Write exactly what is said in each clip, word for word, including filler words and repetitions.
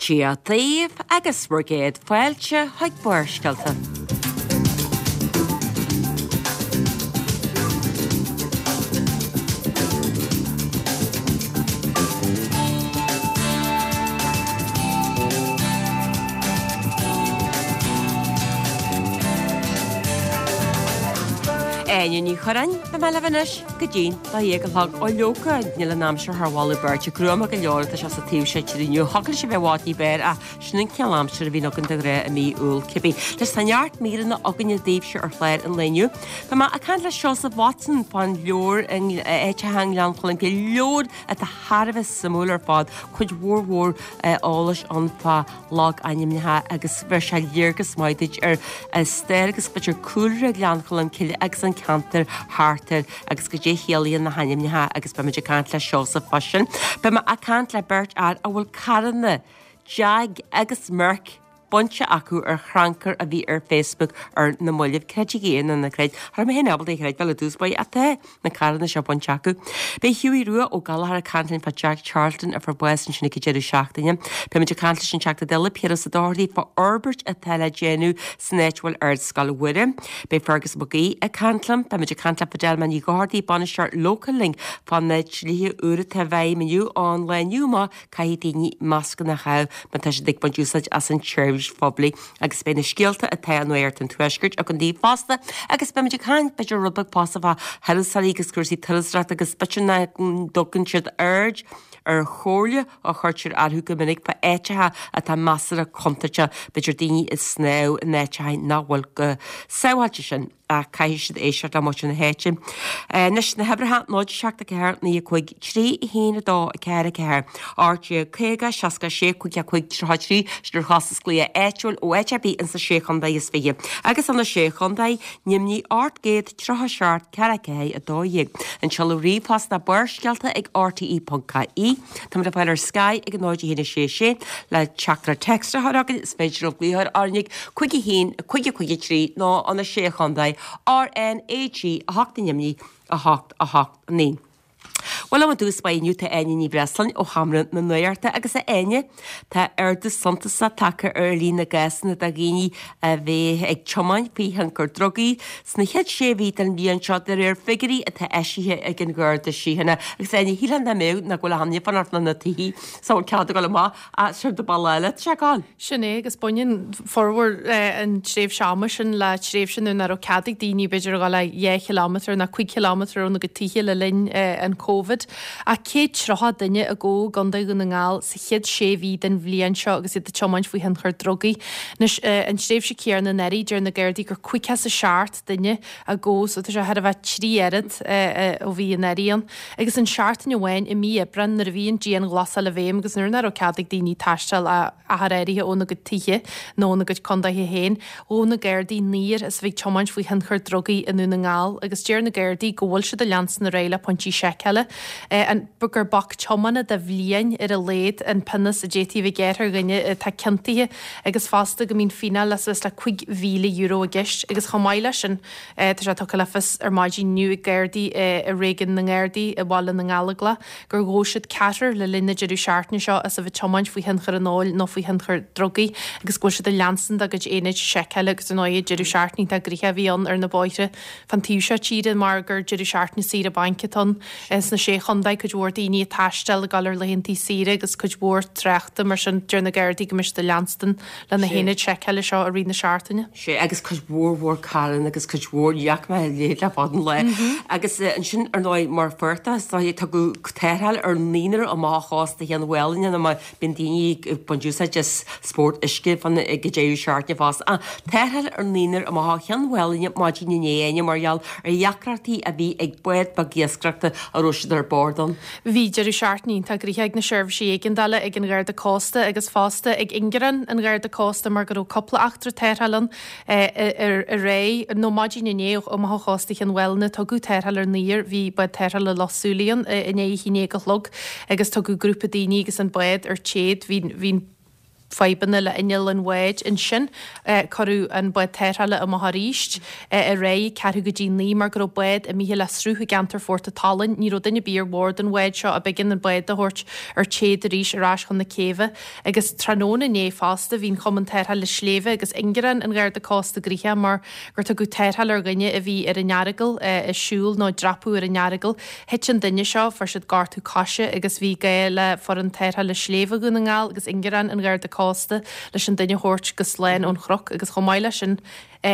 Dia daoibh agus bhur gcéad fáilte chuig Barrscéalta. Áine Ní Churráin, beidh mé libh anois go dtí'n dá dhéag a chlog. Ó leoga, níl an aimsir thar mholadh beirte, gruama go leor atá sé sa taobh seo tíre inniu. Thiocfadh leis a bheith i bhfad ní b'fhearr ach sin an cineál aimsire a bhíonn againn de ghnáth i mí Iúil cibé. Anois tá neart míreanna againne daoibhse ar chlár an lae inniu. Beidh mé ag caint le Seosamh Watson fán leabhar Áiteacha i nGleann Cholm Cille, leabhar atá thar a bheith suimiúil ar fad, cuid mhór mhór eolais ann fá logainmneacha agus bheir sé léargas maith duit ar stair agus b'fhéidir cúlra Ghleann Cholm Cille agus an ceantar thart air agus goidé a chiallaíonn na hainmneacha agus beimid ag caint le Seosamh fá sin. Beidh mé ag caint le beirt fhear a bhfuil carranna, Jag agus Merc, bainte acu ar chrannchur a bhí ar Facebook ar na mallaibh. Creidigí é nó ná creid, cha raibh mé féin ábalta é a chreidbheáil i dtús báire ach tá na carranna seo bainte acu. Beidh Hughie Rua Ó Gallchóir ag caint linn fá Jack Charlton a fuair bás ansin ag an deireadh seachtaine. Beimid ag caint leis an Teachta Dála Piaras Ó Dochartaigh fá fhorbairt atá le déanamh san áit a bhfuil Ardscoil Mhuire. Beidh Fergus Mac Aoidh ag caint liom. Beimid ag caint le Fidelma Ní Dhochartaigh, Bainisteoir Local Link fá na dlíthe úr atá i bhfeidhm inniu ón lá inniu amach Caithfidh daoine mascanna a chaitheamh má tá siad ag baint úsáid as an tseirbhís phoiblí agus beidh na scéalta atá i Nuacht an Tuaiscirt againn daoibh fosta agus beimid ag caint b'fhéidir rud beag fosta fá thurasóirí agus cúrsaí turasóireachta agus b'fhéidir nach dtugann siad aird ar chomhairle a chuirtear orthu go minic fá áiteacha atá measartha contúirteach, b'fhéidir daoine ag snámh in áiteacha nach bhfuil chomh sábháilte sin. Ach caithfidh siad éisteacht le muintir na háite. Anois, na huimhreacha, náid seacht a ceathair, naoi a cúig, trí a haon a dó, a ceathair a ceathair, ocht déag caoga, seasca a sé, cúig a cúig, tríocha a trí, sin ar chostas glaoch áitiúil ó áit ar bith insa Sé Chontae is Fiche. Agus sna Sé Chontae, Nimhní ocht gcéad tríocha a seacht, ceathair a ceathair, a dó dhéag. An seoladh ríomhphost ná Barrscéalta ag R T E ponc I E. Táimid le fáil ar Sky ag a náid a haon a sé sé le teachtaireacht téacs a chur chugainn. Is féidir libh glaoch orainn ag cúig a haon, cúig a cúig a trí nó an a sé Chontae, R N A G a hocht i nDoimní, a hocht a hocht naoi. Bhuel, liom i dtús báire inniu tá Áine Ní Bhreisleáin ó Sheomra na Nuachta agus a Áine, tá ardú suntasach tagtha ar líon na gcásanna de dhaoine a bheith ag tiomáint faoi thionchar drugaí sna chéad sé mhí den bhliain seo de réir figiúirí atá eisithe ag an Gharda Síochána. Agus Áine, shílfeá nach mbeadh nach bhfuil achan duine ag fanacht na tithe sa bhfuil cead ag dul amach ach sin do bealach eile, tá sé ag gabháil. Sin é, agus baineann formhór an tréimhse ama sin le tréimhse nuair nach raibh cead ag daoine b'fhéidir a dhul ach dhá chileámetar nó cúig chileámetar óna gcuid tithe le linn an Covid. Ach céad tríocha duine a gabhadh i gContae Dhún na nGall sa chéad sé mhí den bhliain seo agus iad ag tiomáint faoi thionchar drugaí. Anois, an tréimhse chéanna anuraidh, deir na Gardaí gur caoga is a seacht duine a gabhadh so tá sé thar a bheith trí oiread ó bhí anuraidh ann. Agus an seachtain amháin i mí Aibreáin nuair a bhí an dianghlasáil i bhfeidhm agus nuair nach raibh cead ag daoine taisteal ach achar áirithe óna gcuid tithe nó óna gcuid contaetha féin, ghabh na Gardaí naonúr as a bheith ag tiomáint faoi thionchar drugaí i nDún na nGall agus deir na Gardaí go bhfuil siad ag leanstan ar aghaidh le pointí seiceála, an gur bac tiomána de bhliain ar a laghad an pionós a d'fhéadfaí a bheith gearrtha ar dhuine atá ciontaithe agus fosta go mbíonn fíneáil suas le cúig mhíle euro i gceist agus chomh maith leis sin tá sé tugtha le fios ar maidin inniu ag Gardaí i Réigiún na nGardaí i mBaile na nGallóglach gur ghabh siad ceathrar le linn na deireadh seachtaine seo as a bheith ag tiomáint faoi thionchar an óil nó faoi thionchar drugaí agus go bhfuil siad ag leanstan dá gcuid aonaid seiceála agus ar ndóigh deireadh seachtaine iontach gnoitheach a bhí ann ar na bóithre fán taobh seo tíre mar gur deireadh seachtaine saoire bainc atá ann sna Sé Chontae, cuid mhór daoine ag taisteal ag dul ar laethantaí saoire agus cuid mhór tráchta mar sin deir na Gardaí go mbeidh siad ag leanstan le na Sé. haonaid seiceála seo i rith na seachtaine. Sé agus cuid mhór mhór carranna agus cuid mhór ní fhaca mé a leithéid le fada an lá. Agus ansin ar ndóigh mar phortach is dóigh tugadh tarrtháil ar naonúr amach ó chósta Chionn Mhálanna nó mar bíonn daoine ag baint úsáid as spórt uisce fán ag an deireadh seachtaine fosta. Ach tarrtháil ar naonúr amach ó Chionn Mhálanna maidin inné Áine mar gheall ar dheacrachtaí a bhí ag bád beag iascaireachta a raibh siad ar bord ann. Bhí deireadh seachtaine iontach gnoitheach ag na seirbhísí éigeandála, ag an Gharda Cósta agus fosta ag ingearán an Gharda Cósta mar go raibh cúpla eachtra tarrthála ann aréir nó maidin inné amach ó chósta Chionn Mhálanna. Tugadh tarrtháil ar naonúr, bhí bád tarrthála Loch Súilí ann i ndiaidh a haon déag a chlog agus tugadh grúpa daoine agus an bád ar téad. Bhí bhí an fadhbanna le inneall an bháid. Ansin cuireadh an bád tarrthála amach arís aréir ceathrú go dtí naoi mar go raibh bád imithe le sruth i gceantar Phort a' tSalainn. Ní raibh duine ar bith ar bhord an bháid seo a b'éigean an bád a thabhairt ar téad arís ar ais chun na céibhe. Agus tráthnóna inné fosta bhí an Cumann Tarrthála Sléibhe agus Ingearán an Gharda Cósta gnoitheach mar gur tugadh tarrtháil ar dhuine a bhí ar an Earagail ag siúl nó ag dreapadh ar an Earagail. Thit an duine seo, fuair siad gortú coise agus bhí gá le foireann tarrthála sléibhe Dhún na nGall agus Ingearán an Gharda Cósta leis an duine a thabhairt go slán ón chnoc agus chomh maith leis sin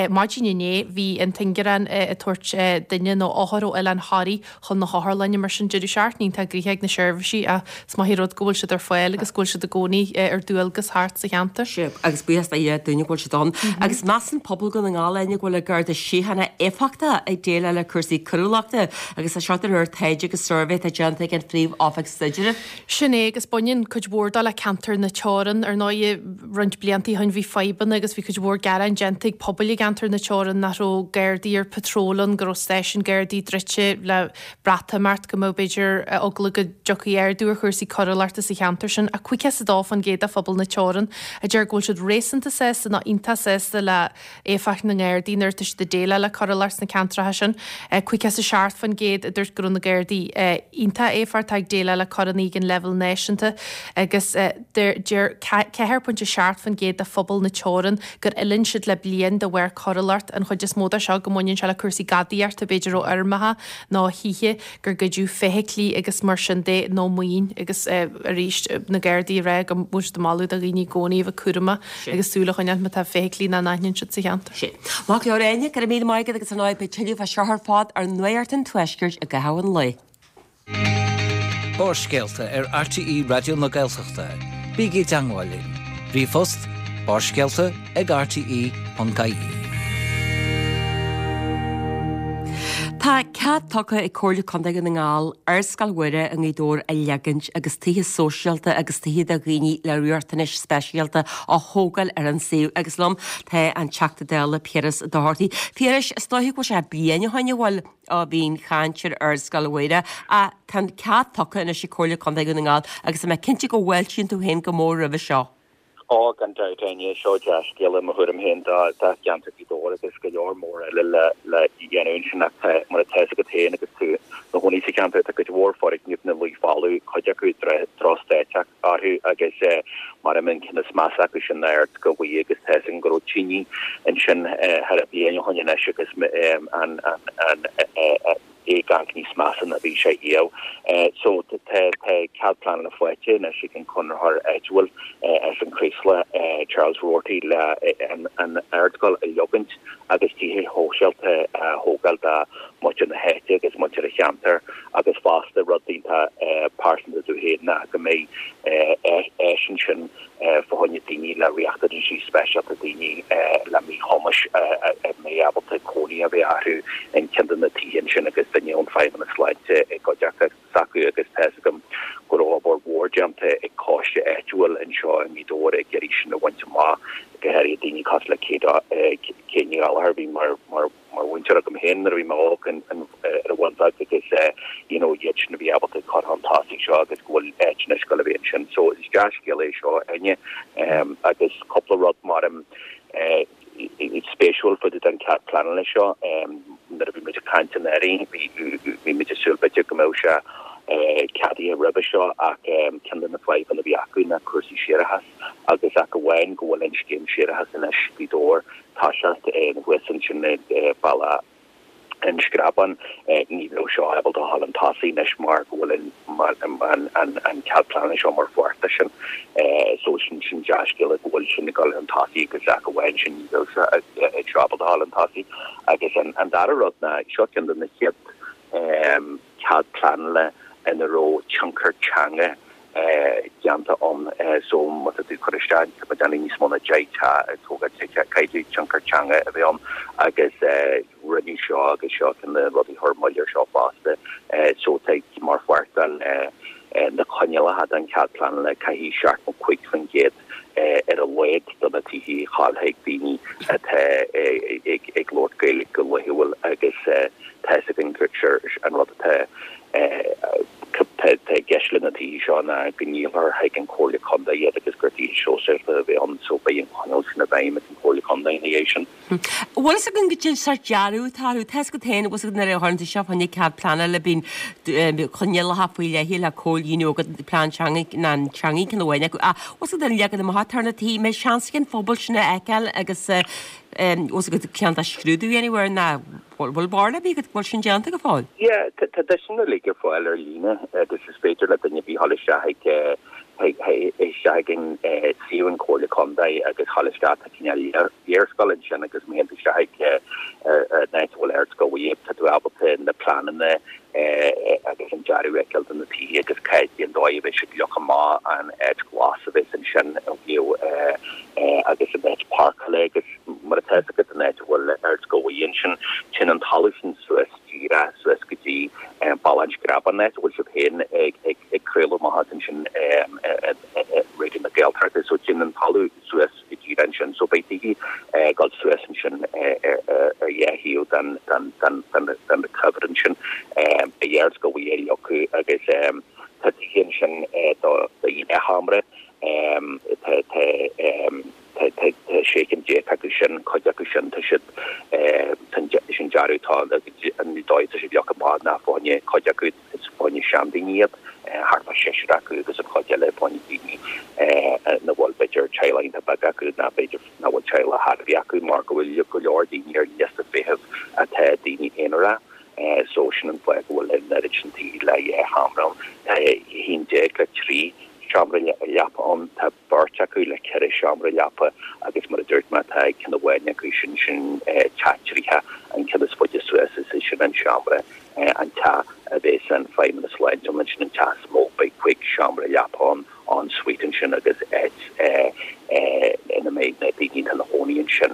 maidin inné bhí an t-ingearán ag tabhairt duine nó othar ó Oileán Thoraí chun na hotharlainne mar sin deireadh seachtaine iontach gnoitheach ag na seirbhísí ach is maith an rud go bhfuil siad ar fáil agus go bhfuil siad i gcónaí ar dualgas thart sa cheantar. Sea, agus buíochas do Dhia dúinne go bhfuil siad ann. Agus measann pobal Dhún na nGall Áine go bhfuil an Garda Síochána éifeachtach ag déileáil le cúrsaí coiriúlachta agus tá seo de réir taighde agus suirbhé atá déanta ag an Phríomh-Oifig Staidrimh. Sin é agus baineann cuid mhór dó le ceantar na Teorann. Ar ndóigh, roinnt blianta ó shin bhí fadhbanna agus bhí cuid mhór gearáin déanta ag pobail i gceantar na Teorann nach raibh Gardaí ar patról ann, go raibh stáisiún Gardaí druidte le Breatimeacht, go mbeadh b'fhéidir eagla go dtiocfaidh ardú ar chúrsaí coiriúlachta sa cheantar sin. Ach caoga is a dó faoin gcéad de phobal na Teorann a deir go bhfuil siad réasúnta sásta nó iontach sásta le éifeacht na nGardaí nuair atá siad ag déileáil le coiriúlacht sna ceantracha sin. Caoga is a seacht faoin gcéad a dúirt go raibh na Gardaí iontach éifeachtach ag déileáil le coireanna ag an leibhéal náisiúnta agus deir ceathair pointe seacht faoin gcéad de phobal na Teorann gur fhulaing siad le bliain de bharr coiriúlacht, an chuid is mó de seo go mbaineann sé le cúrsaí gadaíochta, b'fhéidir ó fheirmeacha nó thithe, gur goideadh feithiclí agus mar sin de nó maoin agus arís na Gardaí ag rá go bhfuil siad ag moladh do dhaoine i gcónaí a bheith cúramach agus súil a choinneáil má tá feithiclí nach n-aithníonn siad sa cheantar. Sin. Maith go leor Áine, go raibh míle maith agat agus ar ndóigh beidh tuilleadh fá seo ar fad ar Nuacht an Tuaiscirt i gcaitheamh an lae. Barrscéalta ar RTÉ Raidió na Gaeltachta. Bígí i dteagmháil linn. Ríomhphost barrscéalta ag rte ponc ie. Tá cead tugtha ag Comhairle Contae Dhún na nGall Ardscoil Mhuire i nGaoth Dobhair a leagaint agus tithe sóisialta agus tithe do dhaoine le riachtanais speisialta á thógáil ar an suíomh agus liom tá an Teachta Dála Piaras Ó Dochartaigh. Piarais, is dóiche go bhfuil sé bliain ó shin a bhfuil ó bhí an chaint ar Ardscoil Mhuire ach tá an cead tugtha anois ag Comhairle Contae Dhún na nGall agus tá mé cinnte go bhfáiltíonn tú féin go mór roimhe seo. Ó, gan dabht, Áine, seo dea-scéala i mo thuairim féin do cheantar Ghaoth Dobhair agus go leor mór eile le le dhéanamh ansin ach tá, mar atá fhios agat féin agus tú ina chónaí sa cheantar, tá cuid mhór foirgneamh ina luí folamh, cuid acu drochstaid orthu agus mar an ceann is measa acu sin ná Ardscoil Mhuire agus tá fhios againn go raibh tine ansin thar a bliain ó shin anois agus an an an é ag amharc níos measa ná bhí sé riamh. So tá cead pleanála faighte anois ag an conraitheoir áitiúil as an Chraoslach, Charles Roarty, le an ardscoil a leogaint agus tithe shóisialta a thógáil do mhuintir na háite agus muintir an cheantair agus fosta rud iontach pearsanta domh féin ná go mbeidh áis ansin fá choinne daoine le riachtanaisí speisialta, daoine le míchumais a mbeidh ábalta cónaí a bheith orthu in ceann de na tithe ansin agus duine ón Feidhmeannas Sláinte i gcuideachta s'acu agus tá fhios agam go raibh obair mhór déanta ag coiste áitiúil anseo i nGaoth Dobhair ag iarraidh sin a bhaint amach, go háirithe daoine cosúil le Kate Ní Ghallchóir a bhí mar mar mhúinteoir agam féin nuair a bhí mé óg ar an Bhun Bheag agus you know iad sin a bhí ábalta cur chun tosaigh seo agus go bhfuil áit anois ag dul a bheith ansin. So is dea-scéal é seo Áine agus cúpla rud mar spéisiúil fá dtaobh den cead pleanála seo nuair a bhí muid ag caint anuraidh bhí bhí muid ag súil b'fhéidir go mbeadh sé ceadaithe roimhe seo ach ceann de na fadhbanna a bhí acu ná cúrsaí séarachais agus ach amháin go bhfuil an scéim séarachais anois Gaoth Dobhair toiseacht thuas ansin Bealach an Screabáin ní bheadh seo ábalta a dhul chun tosaigh anois mar go bhfuil an an cead pleanála seo mar pháirt de sin. So sin sin dea-scéala go bhfuil sin ag dul chun tosaigh agus ach amháin sin ní bheadh seo ábalta a dhul chun tosaigh. Agus an dara rud ná seo ceann de na chéad cead pleanála ina raibh tionchar teanga déanta ann. So má tá tú ag cur isteach, tá muid déanamh níos mó ná deich teach ag tógáil tithe, caithfidh tionchar teanga a bheith ann agus rinneadh seo agus seo ceann de na rudaí a chuir moill air seo fosta. So tá mar pháirt den na coinníollacha don chead pleanála caithfidh seachtó cúig faoin gcéad ar a laghad de na tithe a ghabháil chuig daoine atá ag labhairt Gaeilge go laethúil agus tá fhios againn gur an rud atá tá i gceist gceist le na tithe seo ná go ndíolfar chuig an Chomhairle Contae iad agus gur tithe sóisialta a bheidh ann so beidh an coinníoll sin i bhfeidhm ag an Chomhairle Contae ina dhiaidh sin. Bhfuil fhios againn goidé an sórt dearadh atá orthu? Tá fhios agat féin, bhfuil fhios agat nuair a chuireann tú seo fá choinne cead pleanála bíonn coinníollacha faoi leith le comhlíonadh agat plean teanga ná an teanga ceann amháin acu. Ach bhfuil fhios agat an leagan amach atá ar na tithe, mbeidh seans ag an phobal sin a fheiceáil agus bhfuil fhios agat ceann dá scrúdú a dhéanamh air ná bhfuil barúil ar bith agat go bhfuil sin déanta go fóill? Yeah, tá deiseanna uilig ar fáil ar líne agus is féidir le duine ar bith dhul isteach ag isteach ag an suíomh an Chomhairle Contae agus dhul isteach tá cineál léarscáil ansin agus má théann tú isteach ag an áit a bhfuil Ardscoil Mhuire tá tú ábalta na pleananna agus an dearadh a fheiceáil do na tithe agus cad é an dóigh a bheidh siad leagtha amach an áit ghlas a bheas ansin ó thaobh agus an áit páirceála agus mar atá fhios agat an áit a bhfuil Ardscoil Mhuire ansin téann an talamh sin suas díreach suas go dtí Bealach an Screabáin an áit a bhfuil sibh féin ag ag craoladh amach as ansin Raidió na Gaeltachta so téann an talamh suas go díreach ansin so beidh tithe ag dul suas ansin ar dhá thaobh den den den den den cuibhreann sin beidh Ardscoil Mhuire leagtha agus tá tithe ansin do dhá sheomra tá tá tá tá sé cinn déag acu sin cuid acu sin tá siad sin dearadh tá an dóigh tá siad leagtha amach ná fá choinne cuid acu is fá choinne seandaoine iad thart fá seisear acu agus an chuid eile fá choinne daoine nach bhfuil b'fhéidir teaghlach iontach beag acu ná b'fhéidir nach bhfuil teaghlach ar bith acu mar go bhfuil go leor daoine ar liosta feithimh atá daoine aonaracha so sin an fáth go bhfuil an oiread sin tithe le dhá sheomra ann. Tá haon déag le trí seomra leapa ann, tá beirt acu le ceithre seomra leapa agus mar a dúirt mé tá ceann amháin acu sin sin teach trí theach an ceann is faide suas is é sin an seomra an teach a bheas an Feidhmeannas Sláinte ann sin an teach is mó beidh cúig seomra leapa ann en suite ansin agus áit ina mbeidh na daoine atá ina gcónaí ansin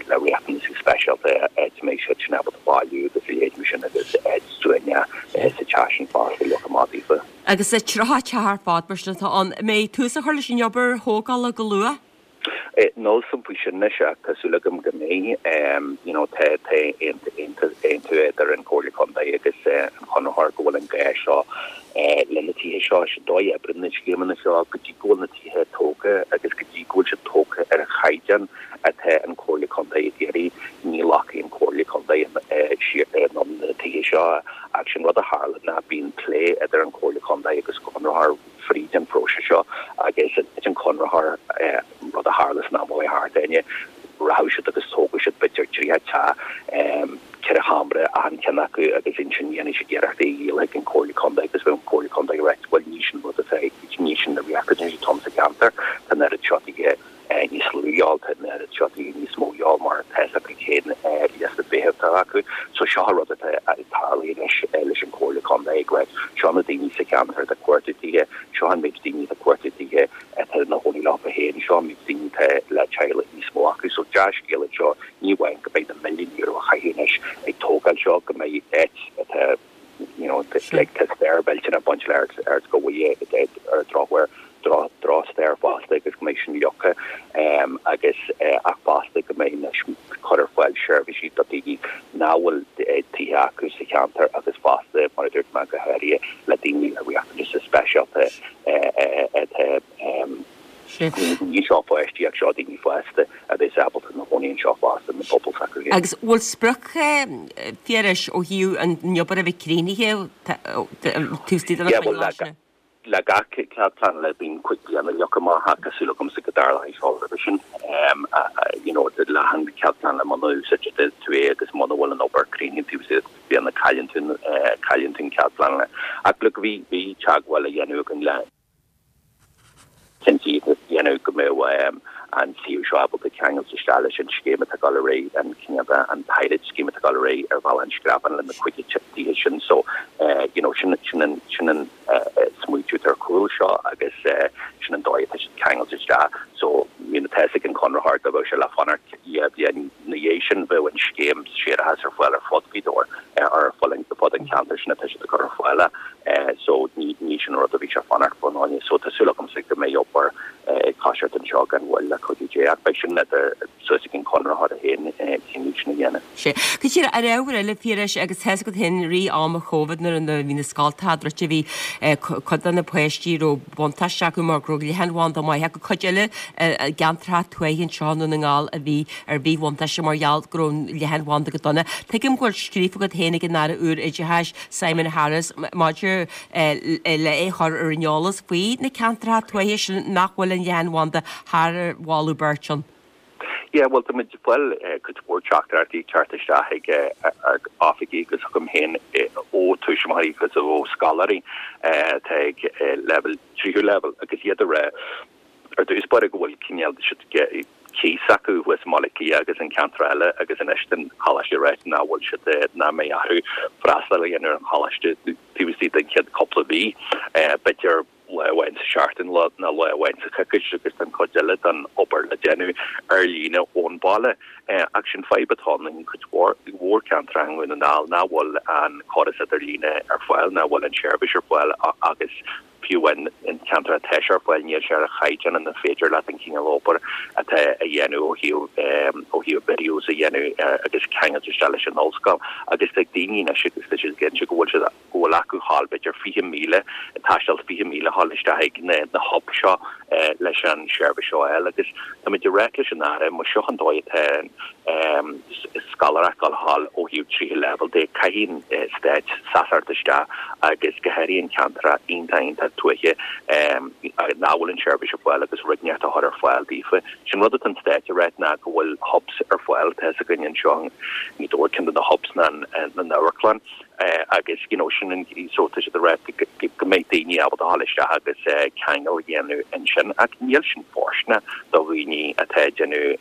le riachtanais speisialta áit a mbeidh siad sin ábalta bailiú agus a leithéid mar sin agus áit suaimhneach sa teach sin fosta leagtha amach daofa. Agus tríocha teach ar fad mar sin atá ann. An mbeidh tús á chur leis an obair thógála go luath? Níl a fhios agam faoi sin anois ach tá súil agam go mbeidh. You know tá tá aontú idir an Chomhairle Contae agus an conraitheoir go bhfuil an gá seo le na tithe seo. Sin dóigh a oibríonn na scéimeanna seo go dtí go bhfuil na tithe tógtha agus go dtí go bhfuil siad tógtha ar an chaighdeán atá an Chomhairle Contae ag iarraidh ní ghlacfaidh an Chomhairle Contae siar anonn na tithe seo ach sin rud a tharla ná bíonn plé idir an Chomhairle Contae agus conraitheoir fríd an phróiseas seo agus an conraitheoir rud a tharla san am a chuaigh thart Áine rachadh siad agus tógadh siad b'fhéidir tríocha teach ceithre sheomra achan cheann acu agus ansin dhéanfaidh siad iarracht é a dhíol chuig an Chomhairle Contae agus bheadh an Chomhairle Contae ag ráit bhuel ní sin rud atá ní sin na riachtanais atá ann sa cheantar tá an oiread seo tithe níos lú a dhíobháil tá an oiread seo tithe níos mó a dhíobháil mar tá fhios acu cén liosta feithimh atá acu. So seo an rud atá ag tarlú anois leis an Chomhairle Contae ag ráit seo na daoine sa cheantar atá ag cuartú tithe, seo an méid daoine atá ag cuartú tithe atá ina gcónaí leo féin, seo an méid daoine atá le teaghlaigh níos mó acu. So dea-scéal anseo, ní amháin go mbeidh na milliúin euro á chaitheamh anois ag tógáil seo, go mbeidh áit atá you know like tá stair mhillteanach ag baint le Ardscoil Mhuire ar drochuair drochstair fosta agus go mbeidh sin leagtha agus ach fosta go mbeidh anois cur ar fáil seirbhísí do daoine nach bhfuil tithe acu sa cheantar agus fosta mar a dúirt mé go háirithe le daoine le riachtanais speisialta atá ní seo páistí ach seo daoine fásta a bheas ábalta ina gcónaí anseo fosta na pobail s'acu féin. Agus bhfuil sprioc Phiarais ó thaobh an obair a bheith críochnaithe taobh istigh de na coinníollacha sin? Le gach cead pleanála bíonn cúig bliana leagtha amach ach tá súil agamsa go dtarlóidh seo roimhe sin. You know, le an cead pleanála muna úsáideann tú é agus muna bhfuil an obair críochnaithe taobh istigh de cúig bliana cailleann tú cailleann tú an cead pleanála. Ach look, bhí bhí teagmháil á dhéanamh againn le cinntí a dhéanamh go mbeadh an suíomh seo ábalta ceangailt isteach leis an scéim atá ag dul ar aghaidh, an cineál de, an pilot scheme atá ag dul ar aghaidh ar Bhealach an Screabáin le na cúig tithe sin. So, you know, sin, sin an, sin an smaoitiú atá ar chúl seo agus sin an dóigh atá siad ceangailte isteach. So, you know, tá fhios ag an conraitheoir dá mbeadh sé le fanacht dhá bhliain ina dhiaidh sin bheadh an scéim séarachais ar fáil ar fud Ghaoth Dobhair, ar fud an cheantair sin atá siad ag cur ar fáil. So ní, ní sin an rud a bhí sé fanacht fá choinne. So tá súil agamsa go mbeidh obair ag toiseacht anseo gan mhoill le cuidiú Dé ach beidh sin idir suas ag an conraitheoir féin cinneadh sin a dhéanamh. Sea. Go díreach, ar ábhar eile, Phiarais, agus tá's agat féin i rith ama Covid nuair a bhí na scoltacha druidte bhí cuid de na páistí a raibh buntáiste acu mar go raibh leathanbhanda maith acu, cuid eile i gceantracha tuaithe anseo i nDún na nGall a bhí ar mhíbhuntáiste mar gheall go raibh an leathanbhanda go dona. Tuigim go bhfuil scríofa agat féin ag an Aire úr Oideachais, Simon Harris, maidir le é a chur ar an eolas faoi na ceantracha tuaithe sin nach bhfuil an leathanbhanda thar mholadh beirte ann. Yeah, bhuel tá muid ag fáil cuid mhór teachtaireachtaí ag teacht isteach ag ár oifigí agus chugam féin ó tuismitheoirí agus ó scoláirí atá ag leibhéal tríú leibhéal agus iad ag rá ar dtús báire go bhfuil cineál siad cíos acu thuas i mBaile Átha Cliath agus in ceantar eile agus anois tá an coláiste ag ráit nach bhfuil siad nach mbeidh orthu freastal a dhéanamh ar an choláiste taobh istigh den chéad cúpla mhí b'fhéidir lá amháin sa seachtain nó lá amháin sa choicís agus tá an chuid eile den obair le déanamh ar líne ón bhaile. Ach sin fadhb atá ann in cuid mhór mhór ceantar i nDún na nGall nach bhfuil an córas idirlíne ar fáil, nach bhfuil an tseirbhís ar fáil agus fiú amháin in ceantar atá sé ar fáil níl sé ar chaighdeán ina féidir leat an cineál obair atá a dhéanamh ó thaobh ó thaobh videos a dhéanamh agus ceangailt isteach leis an ollscoil agus tá daoine anois agus tá siad cinnte go bhfuil siad go bhfuil acu thall b'fhéidir fiche míle, taisteal fiche míle a dhul isteach ag na na hubs seo leis an seirbhís seo a fháil agus táimid ag ráit leis an Aire, más seo an dóigh atá an scoláireacht ag dul a dhul ó thaobh tríú leibhéal de, caithfidh an Stát seasamh isteach agus go háirithe in ceantracha iontach iontach tuaithe nach bhfuil an seirbhís ar fáil agus rud inteacht a chur ar fáil daofa. Sin rud atá an Stát ag ráit ná go bhfuil hubs ar fáil, tá fhios againn anseo i nGaoth Dobhair ceann de na hubs ná an amharclann agus you know sin an so tá siad ag rá go mbeidh daoine ábalta a dhul isteach agus ceangal a dhéanamh ansin ach níl sin fóirsteanach do dhaoine atá ag déanamh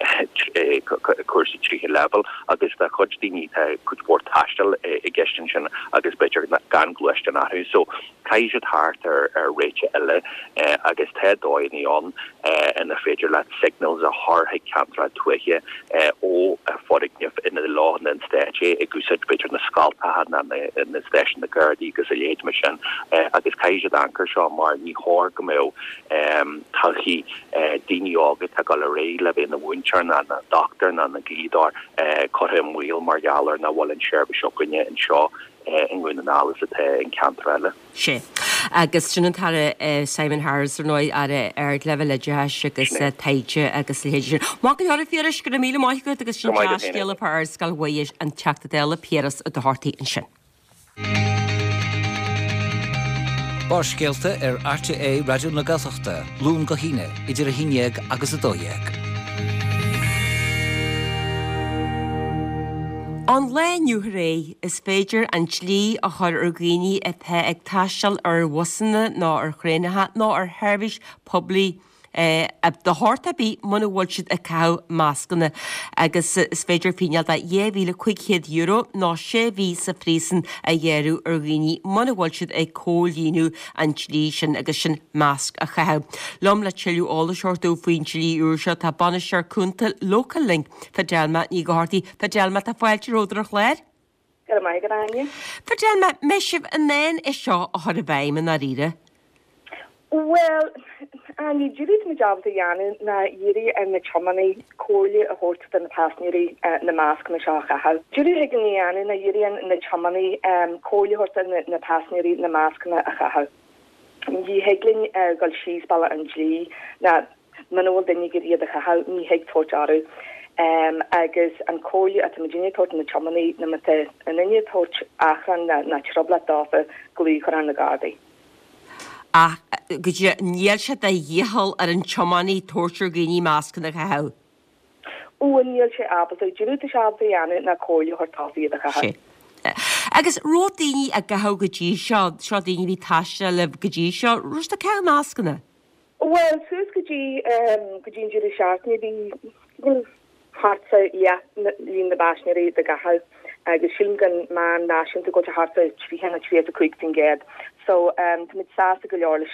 cúrsaí tríú leibhéal agus do chuid daoine tá cuid mhór taistil i gceist ansin agus b'fhéidir gan gluaisteán acu so caithfidh siad theacht ar ar réiteach eile agus tá dóigheanna ann inar féidir leat signals a chur chuig ceantracha tuaithe ó foirgnimh ina leo an Stáit é ag úsáid b'fhéidir na scoltacha ná na stáisiúin na Gardaí agus a leithéid mar sin agus caithfidh siad amharc air seo mar ní chóir go mbeadh todhchaí daoine óga atá ag dul ar aghaidh le bheith ina mhúinteoir ná ina dochtúir ná ina dhlíodóir curtha i mbaol mar gheall ar nach bhfuil an tseirbhís againne anseo i nDún na nGall is atá in ceantar eile. Sea. Agus sin an tAire Simon Harris, ar ndóigh, Aire Ardleibhéil Oideachais agus Taighde agus a leithéid sin. Maith go leor, a Phiarais, go raibh míle maith agat agus sin dea-scéala fá Ardscoil Mhuire an Teachta Dála Piaras Ó Dochartaigh ansin. Barrscéalta ar RTÉ Raidió na Gaeltachta, Luan go hAoine, idir a haon dhéag agus a dó dhéag. Ón lá inniu ar aghaidh, is féidir an dlí a chur ar dhaoine atá ag taisteal ar bhusanna nó ar thraenacha nó ar sheirbhís poiblí de shórt ar bith muna bhfuil siad ag caitheamh mascanna agus is féidir fíneáil de dhá mhíle cúig chéad euro nó sé mhí sa phríosún a ghearradh ar dhaoine muna bhfuil siad ag comhlíonadh an dlí sin agus sin masc a chaitheamh. Liom le tuilleadh eolais a thabhairt domh faoin dlí úr seo tá Bainisteoir Cúnta Local Link, Fidelma Ní Dhochartaigh. Fidelma, tá fáilte romhat ar an chlár. Go raibh maith agat, Áine. Fidelma, mbeidh sibh in ann é seo a chur i bhfeidhm i ndáiríre? Bhuel, Áine, díreach tá muid ábalta a dhéanamh ná iarraidh ar na tiománaí comhairle a thabhairt do na paisinéirí na mascanna seo a chaitheamh. Díreach thig linn a dhéanamh ná iarraidh ar na tiománaí comhairle a thabhairt do na paisinéirí na mascanna a chaitheamh. Ní thig linn dul síos bealach an dlí ná muna bhfuil duine ag iarraidh iad a chaitheamh, ní thig tabhairt orthu. Agus an comhairle atá muidinne ag tabhairt do na tiománaí ná má tá aon duine ag tabhairt achrann ná trioblóid dófa, glaoch a chur ar na Gardaí. Ach go díreach, níl sé de dhícheall ar an tiománaí tabhairt ar dhaoine mascanna a chaitheamh. Ó, níl sé ábalta. Díreach tá sé ábalta a dhéanamh ná comhairle a thabhairt dófa iad a chaitheamh. Sea. Agus raibh daoine á gcaitheamh go dtí seo, seo daoine a bhí ag taisteal libh go dtí seo, raibh siad ag caitheamh mascanna? Bhuel, suas go dtí, go dtí an deireadh seachtaine bhí, bhuel, thart fá leath líon na bpaisinéirí dá gcaitheamh agus sílim gon meán náisiúnta go bhfuil sé thart fá tríocha nó tríocha a cúig faoin gcéad. So táimid sásta go leor leis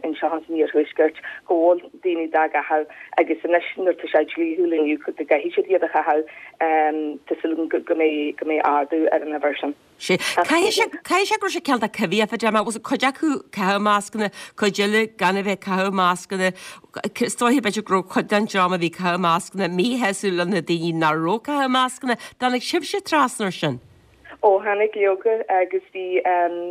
anseo san iarthuaisceart go bhfuil daoine dá gcaitheamh agus anois nuair atá sé dlíthiúil inniu go gcaithfidh siad iad a chaitheamh, tá súil agam go mbeidh go mbeidh ardú ar an uimhir sin. Sea. Caithfidh sé caithfidh sé go raibh sé cineál de coimhthíoch Fidelma, bhfuil cuid acu ag caitheamh mascanna, cuid eile gan a bheith ag caitheamh mascanna. Is dóiche b'fhéidir go raibh cuid den dream a bhí ag caitheamh mascanna míshásta le na daoine nach raibh ag caitheamh mascanna. Dtáinig sibhse trasna ar sin? Ó tháinig leoga agus bhí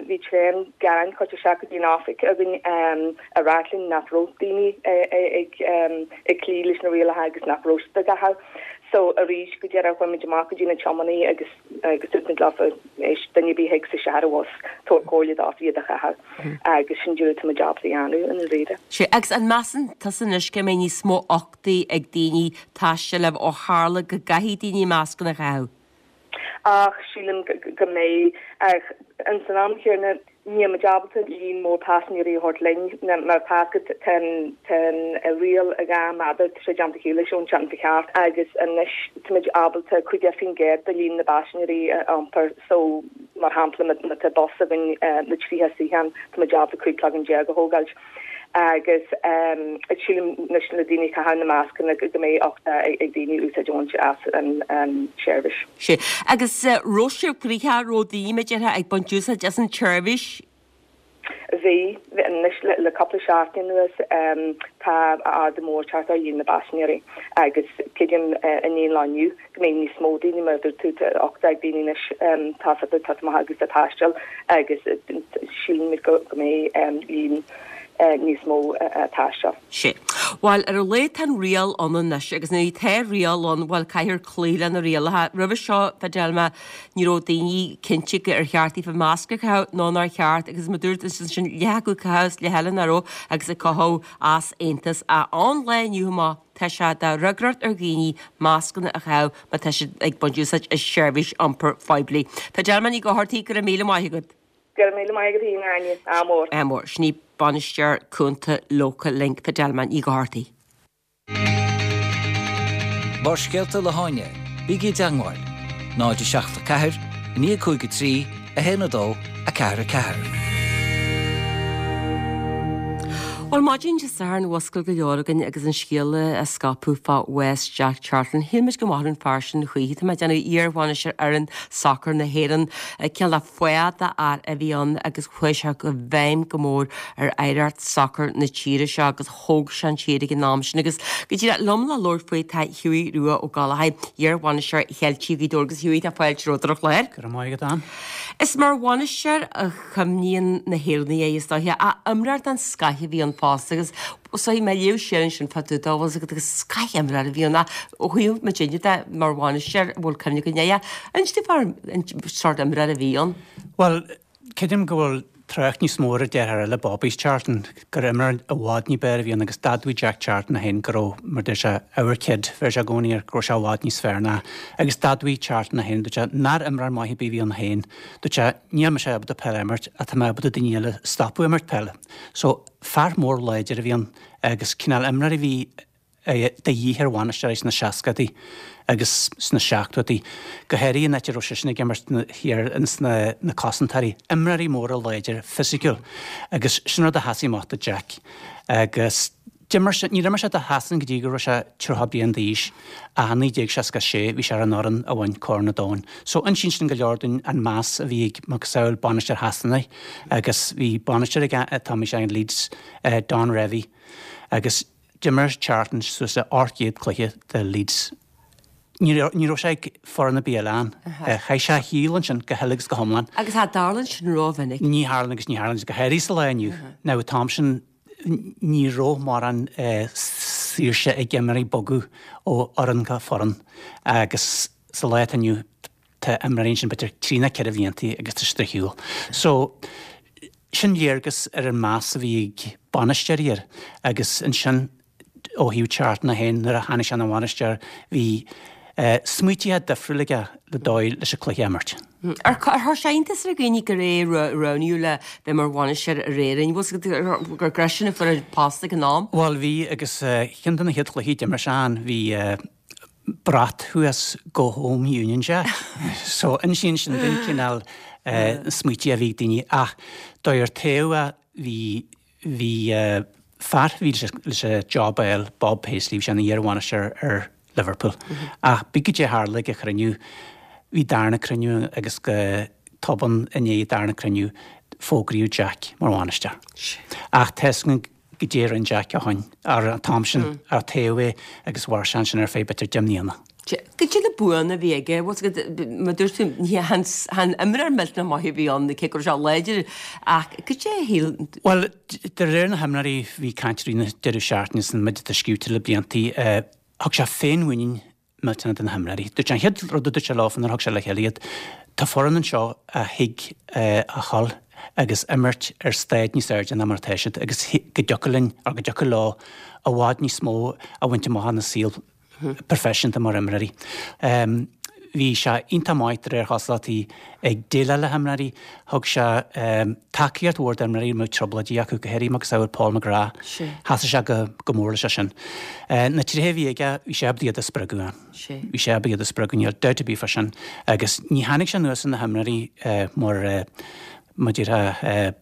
bhí tréan gearáin curtha isteach go dtí an oifig againn ag ráit linn nach raibh daoine ag ag cloí leis na rialacha agus nach raibh siad á gcaitheamh. So arís go deireadh chuaigh muid amach go dtí na tiománaithe agus agus dúirt muid leofa éist duine ar bith a thig isteach ar an bhus tabhair comhairle dófa iad a chaitheamh agus sin díreach atá muid ábalta a dhéanamh i ndáiríre. Sea, agus an measann tusa anois go mbeidh níos mó uchtaí ag daoine taisteal libh ó tharla go gcaithfidh daoine mascanna a chaitheamh? Ach sílim go mbeidh. Ach ins an am chéanna, níl muid ábalta líon mór paisinéirí a thabhairt linn mar tá tá an riail dhá méadar, tá sé déanta ciúil ón tseachtain seo thart agus anois tá muid ábalta caoga faoin gcéad de líon na bpaisinéirí a iompar so mar shampla má tá bus againn le tríocha suíochán tá muid ábalta cúig cloigeann déag a thógáilt. Agus sílim anois le daoine ag caitheamh na mascanna go mbeidh uchtach ag daoine úsáid a bhaint as an tseirbhís. Sea. Agus raibh sibh gnoitheach, raibh daoine, mar a déarfá, ag baint úsáid as an tseirbhís? Bhí. Anois le cúpla seachtain anuas tá ardú mór teacht ar líon na bpaisinéirí agus creidim i ndiaidh an lae inniu go mbeidh níos mó daoine mar a dúirt tú tá uchtach ag daoine anois tá tá maith agus ag taisteal agus sílimid go mbeidh líon níos mó ag taisteal. Sea. Bhuel, ar a laghad tá an riail ann anois agus nuair atá riail ann, bhuel, caithfear cloí le na rialacha. Roimhe seo, Fidelma, ní raibh daoine cinnte ar cheart daofa masc a chaitheamh nó nár cheart agus mar a dúirt ansin, leath acu ag caitheamh is leath eile nach raibh agus ag cothú easaontas. Ach ón lá inniu amach, tá sé de fhreagracht ar dhaoine mascanna a chaitheamh má tá siad ag baint úsáid as seirbhís iompair phoiblí. Fidelma Ní Dhochartaigh, go raibh míle maith agat. Go raibh míle maith agat féin, a Áine. Ádh mór. Ádh mór. Sin í Bainisteoir Cúnta Local Link, Fidelma Ní Dhochartaigh. Barrscéalta le hÁine, bígí i dteangmháil, náid a seacht a ceathair, a naoi a cúig a trí, a haon a dó, a ceathair a ceathair. Bhuel, maidin Dé Sathairn mhuscail go leor againn agus an scéala á scaipeadh fá bhás Jack Charlton. Shíl muid go mairfeadh an fear sin choíche. Tá mé ag déanamh iar-bhainisteoir fhoireann sacair na hÉireann. Cineál de fáth d'fhear a bhí ann agus chuaigh sé i bhfeidhm go mór ar oidhreacht sacair na tíre seo agus thóg sé an tír ag an am sin. Agus go díreach liom le labhairt faoi tá Hughie Rua Ó Gallchóir, iar-bhainisteoir Cheiltigh Ghaoth Dobhair agus Hughie tá fáilte romhat ar an chlár. Go raibh maith agat, Ann. Is mar bhainisteoir a chuimhníonn na hÉireannaigh air is dóiche, ach imreoir den scoth a bhí ann fosta agus is dóigh mé ag léamh siar ansin fá dtaobh dó bhfuil 's agat agus scoth-imreoir a bhí ann ach ó thaobh muidinne de mar bhainisteoir an bhfuil cuimhne againn air. Inis dúinn fán sórt imreoir a bhí ann. Bhuel, creidim go bhfuil trácht níos mó ar a dheartháir eile, Bobby Charlton, gur imreoir i bhfad ní b'fhearr a bhí ann agus d'admhaigh Jack Charlton é féin go raibh, mar deir sé, our kid, bheir sé i gcónaí air, go raibh sé i bhfad níos fearr ná. Agus d'admhaigh Charlton é féin, dúirt sé, nár imreoir maith ar bith a bhí ann féin. Dúirt sé, níl mise ábalta peil a imirt ach tá mé ábalta daoine eile a stopadh imirt peile. So, fear mór láidir a bhí ann agus cineál imreoir a bhí de dhíth ar bhainisteoirí sna seascadaí agus sna seachtóidí, go háirithe an áit a raibh seisean ag imirt thiar ins na na cosantóirí, imreoirí móra láidir fisiciúil agus sin rud a sheasaigh amach do Jack agus d'imir sé, níor imir sé do Shasana go dtí go raibh sé tríocha bliain d'aois ach i naoi déag seasca sé bhí sé ar an fhoireann a bhain Corn an Domhain. So insíonn sin go leor dúinn an meas a bhí ag macasamhail bainisteoir Shasana agus bhí bainisteoir ag an t-am bhí sé in Leeds, Don Revie agus D'imir Charlton suas le ocht gcéad cluiche do Leeds. Ní raibh sé ag foireann ar bith eile ann. Chaith sé a shaol ansin go huile agus go hiomlán. Agus cha dtarlaíonn sin rómhinic. Ní tharlaíonn agus ní tharlaíonn, go háirithe sa lá inniu. Now an t-am sin ní raibh mórán saoirse ag imreoirí bogadh ó fhoireann go foireann agus sa lá atá inniu tá imreoirí ansin b'fhéidir trí nó ceithre bhlianta agus tá siad ar shiúl. So sin léargas ar an meas a bhí ag bainisteoirí air agus ansin ó thaobh Charlton é féin nuair a tháinig sé ina bhainisteoir bhí smaoitithe difriúil aige le dóigh leis an cluiche a imirt. Ar chuir sé iontas ar dhaoine gur é a roghnaíodh le bheith mar bhainisteoir ar Éirinn? Bhfuil 's agat gur eisean a fuair an post ag an am? Bhuel bhí agus ceann de na chéad chluichí a d'imir sé ann bhí brat thuas Go Home Union Jack. So insíonn sin dúinn cineál na smaoití a bhí ag daoine ach dóigh ar taobh a bhí bhí fear a bhí leis an job a fháil, Bob Paisley, bhí sé ina iar-bhainisteoir ar Liverpool. Ach b'fhéidir goidé a tharla ag an chruinniú, bhí darna cruinniú agus go tobann i ndiaidh an darna cruinniú fógraíodh Jack mar bhainisteoir. Ach tá 'fhios againn goidé a rinne Jack ó shoin, ar an t-am sin, ar taobh é agus mhair sé ansin ar feadh b'fhéidir deich mbliana. Goidé na buanna a bhí aige, bhfuil 's agat, mar dúirt tú, ní chan imreoir millteanach maith a bhí ann, cé go raibh sé láidir, ach goidé a shíl. Bhuel, de réir na himreoirí, bhí caint i rith na deireadh seachtaine is an méid atá scríte le bliantaí, thug sé féinmhuinín millteanach do na himreoirí. Dúirt sé an chéad rud a dúirt sé leo nuair a thug sé le chéile iad, tá foireann anseo a thuig a dhul agus imirt ar staid níos airde ná mar atá siad agus go dtiocfadh linn, or go dtiocfadh leo, i bhfad níos mó a bhaint amach ina saol proifisiúnta mar imreoirí. Bhí sé iontach maith de réir chosúlachtaí ag déileáil le himreoirí. Thug sé tacaíocht mhór d'imreoirí a mbeadh trioblóidí acu, go háirithe macasamhail Paul McGrath. Sheasaigh sé go mór leis sin. Na tréithe a bhí aige, bhí sé ábalta iad a spreagadh. Bhí sé ábalta iad a spreagadh, níl dabht ar bith fá sin. Agus ní tháinig sé anuas ar na himreoirí mar, mar a déarfá,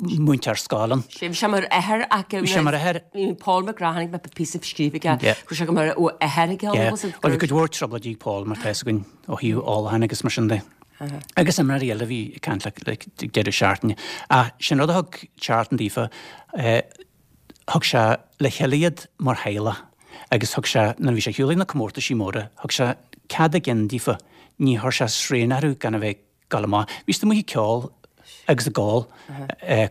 múinteoir scoile. Bhí sé mar athair acu. Bhí sé mar athair. Bhí Paul McGrath, chonaic mé píosa scríofa aige, go raibh sé mar athair aige. Bhuel, bhí cuid mhór trioblóidí ag Paul, mar tá 'fhios againn, ó thaobh ólacháin agus mar sin de. Agus imreoirí eile a bhí ag caint le ag deireadh seachtaine. Ach sin rud a thug Charlton daofa, thug sé le chéile iad mar theaghlach agus thug sé, nuair a bhí sé ar shiúl ag na comórtaisí móra, thug sé cead a gcinn daofa, ní chuir sé srian orthu gan a bheith dul amach. Bhí siad amuigh ag ceol agus ag ól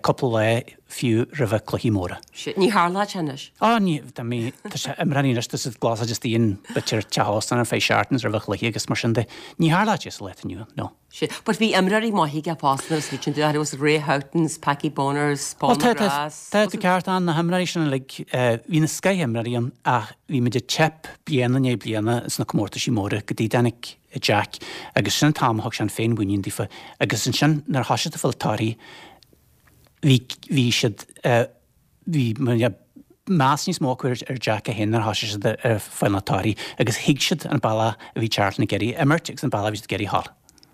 cúpla lá fiú roimhe cluichí móra. Ní tharlódh sé anois. Á, ní, tá mé, tá sé, imreoirí anois, tá siad glasáilte istigh in b'fhéidir teach óstáin ar feadh seachtaine roimhe chluiche agus mar sin de. Ní tharlódh sé sa lá atá inniu ann, no. Sea, but bhí imreoirí maithe aige fosta nuair a smaoitíonn tú air, was Ray Houghton, Packie Bonner, Paul Bhuel, tá, tá, McGrath. tá tú ceart ann, na himreoirí sin uilig, bhí na scoth-imreoirí ann ach bhí muid ag teip bliain i ndiaidh bliana sna comórtaisí móra go dtí dtáinig Jack agus sin an t-am a thug sé an féinmhuinín daofa agus ansin nuair a thosaigh siad ag fáil torthaí bhí bhí siad bhí meas níos mó acu ar Jack é féin nuair a thosaigh siad ar fáil na torthaí agus thuig siad an bealach a bhí Charlton ag iarraidh imirt agus an bealach a bhí siad ag iarraidh a dhul.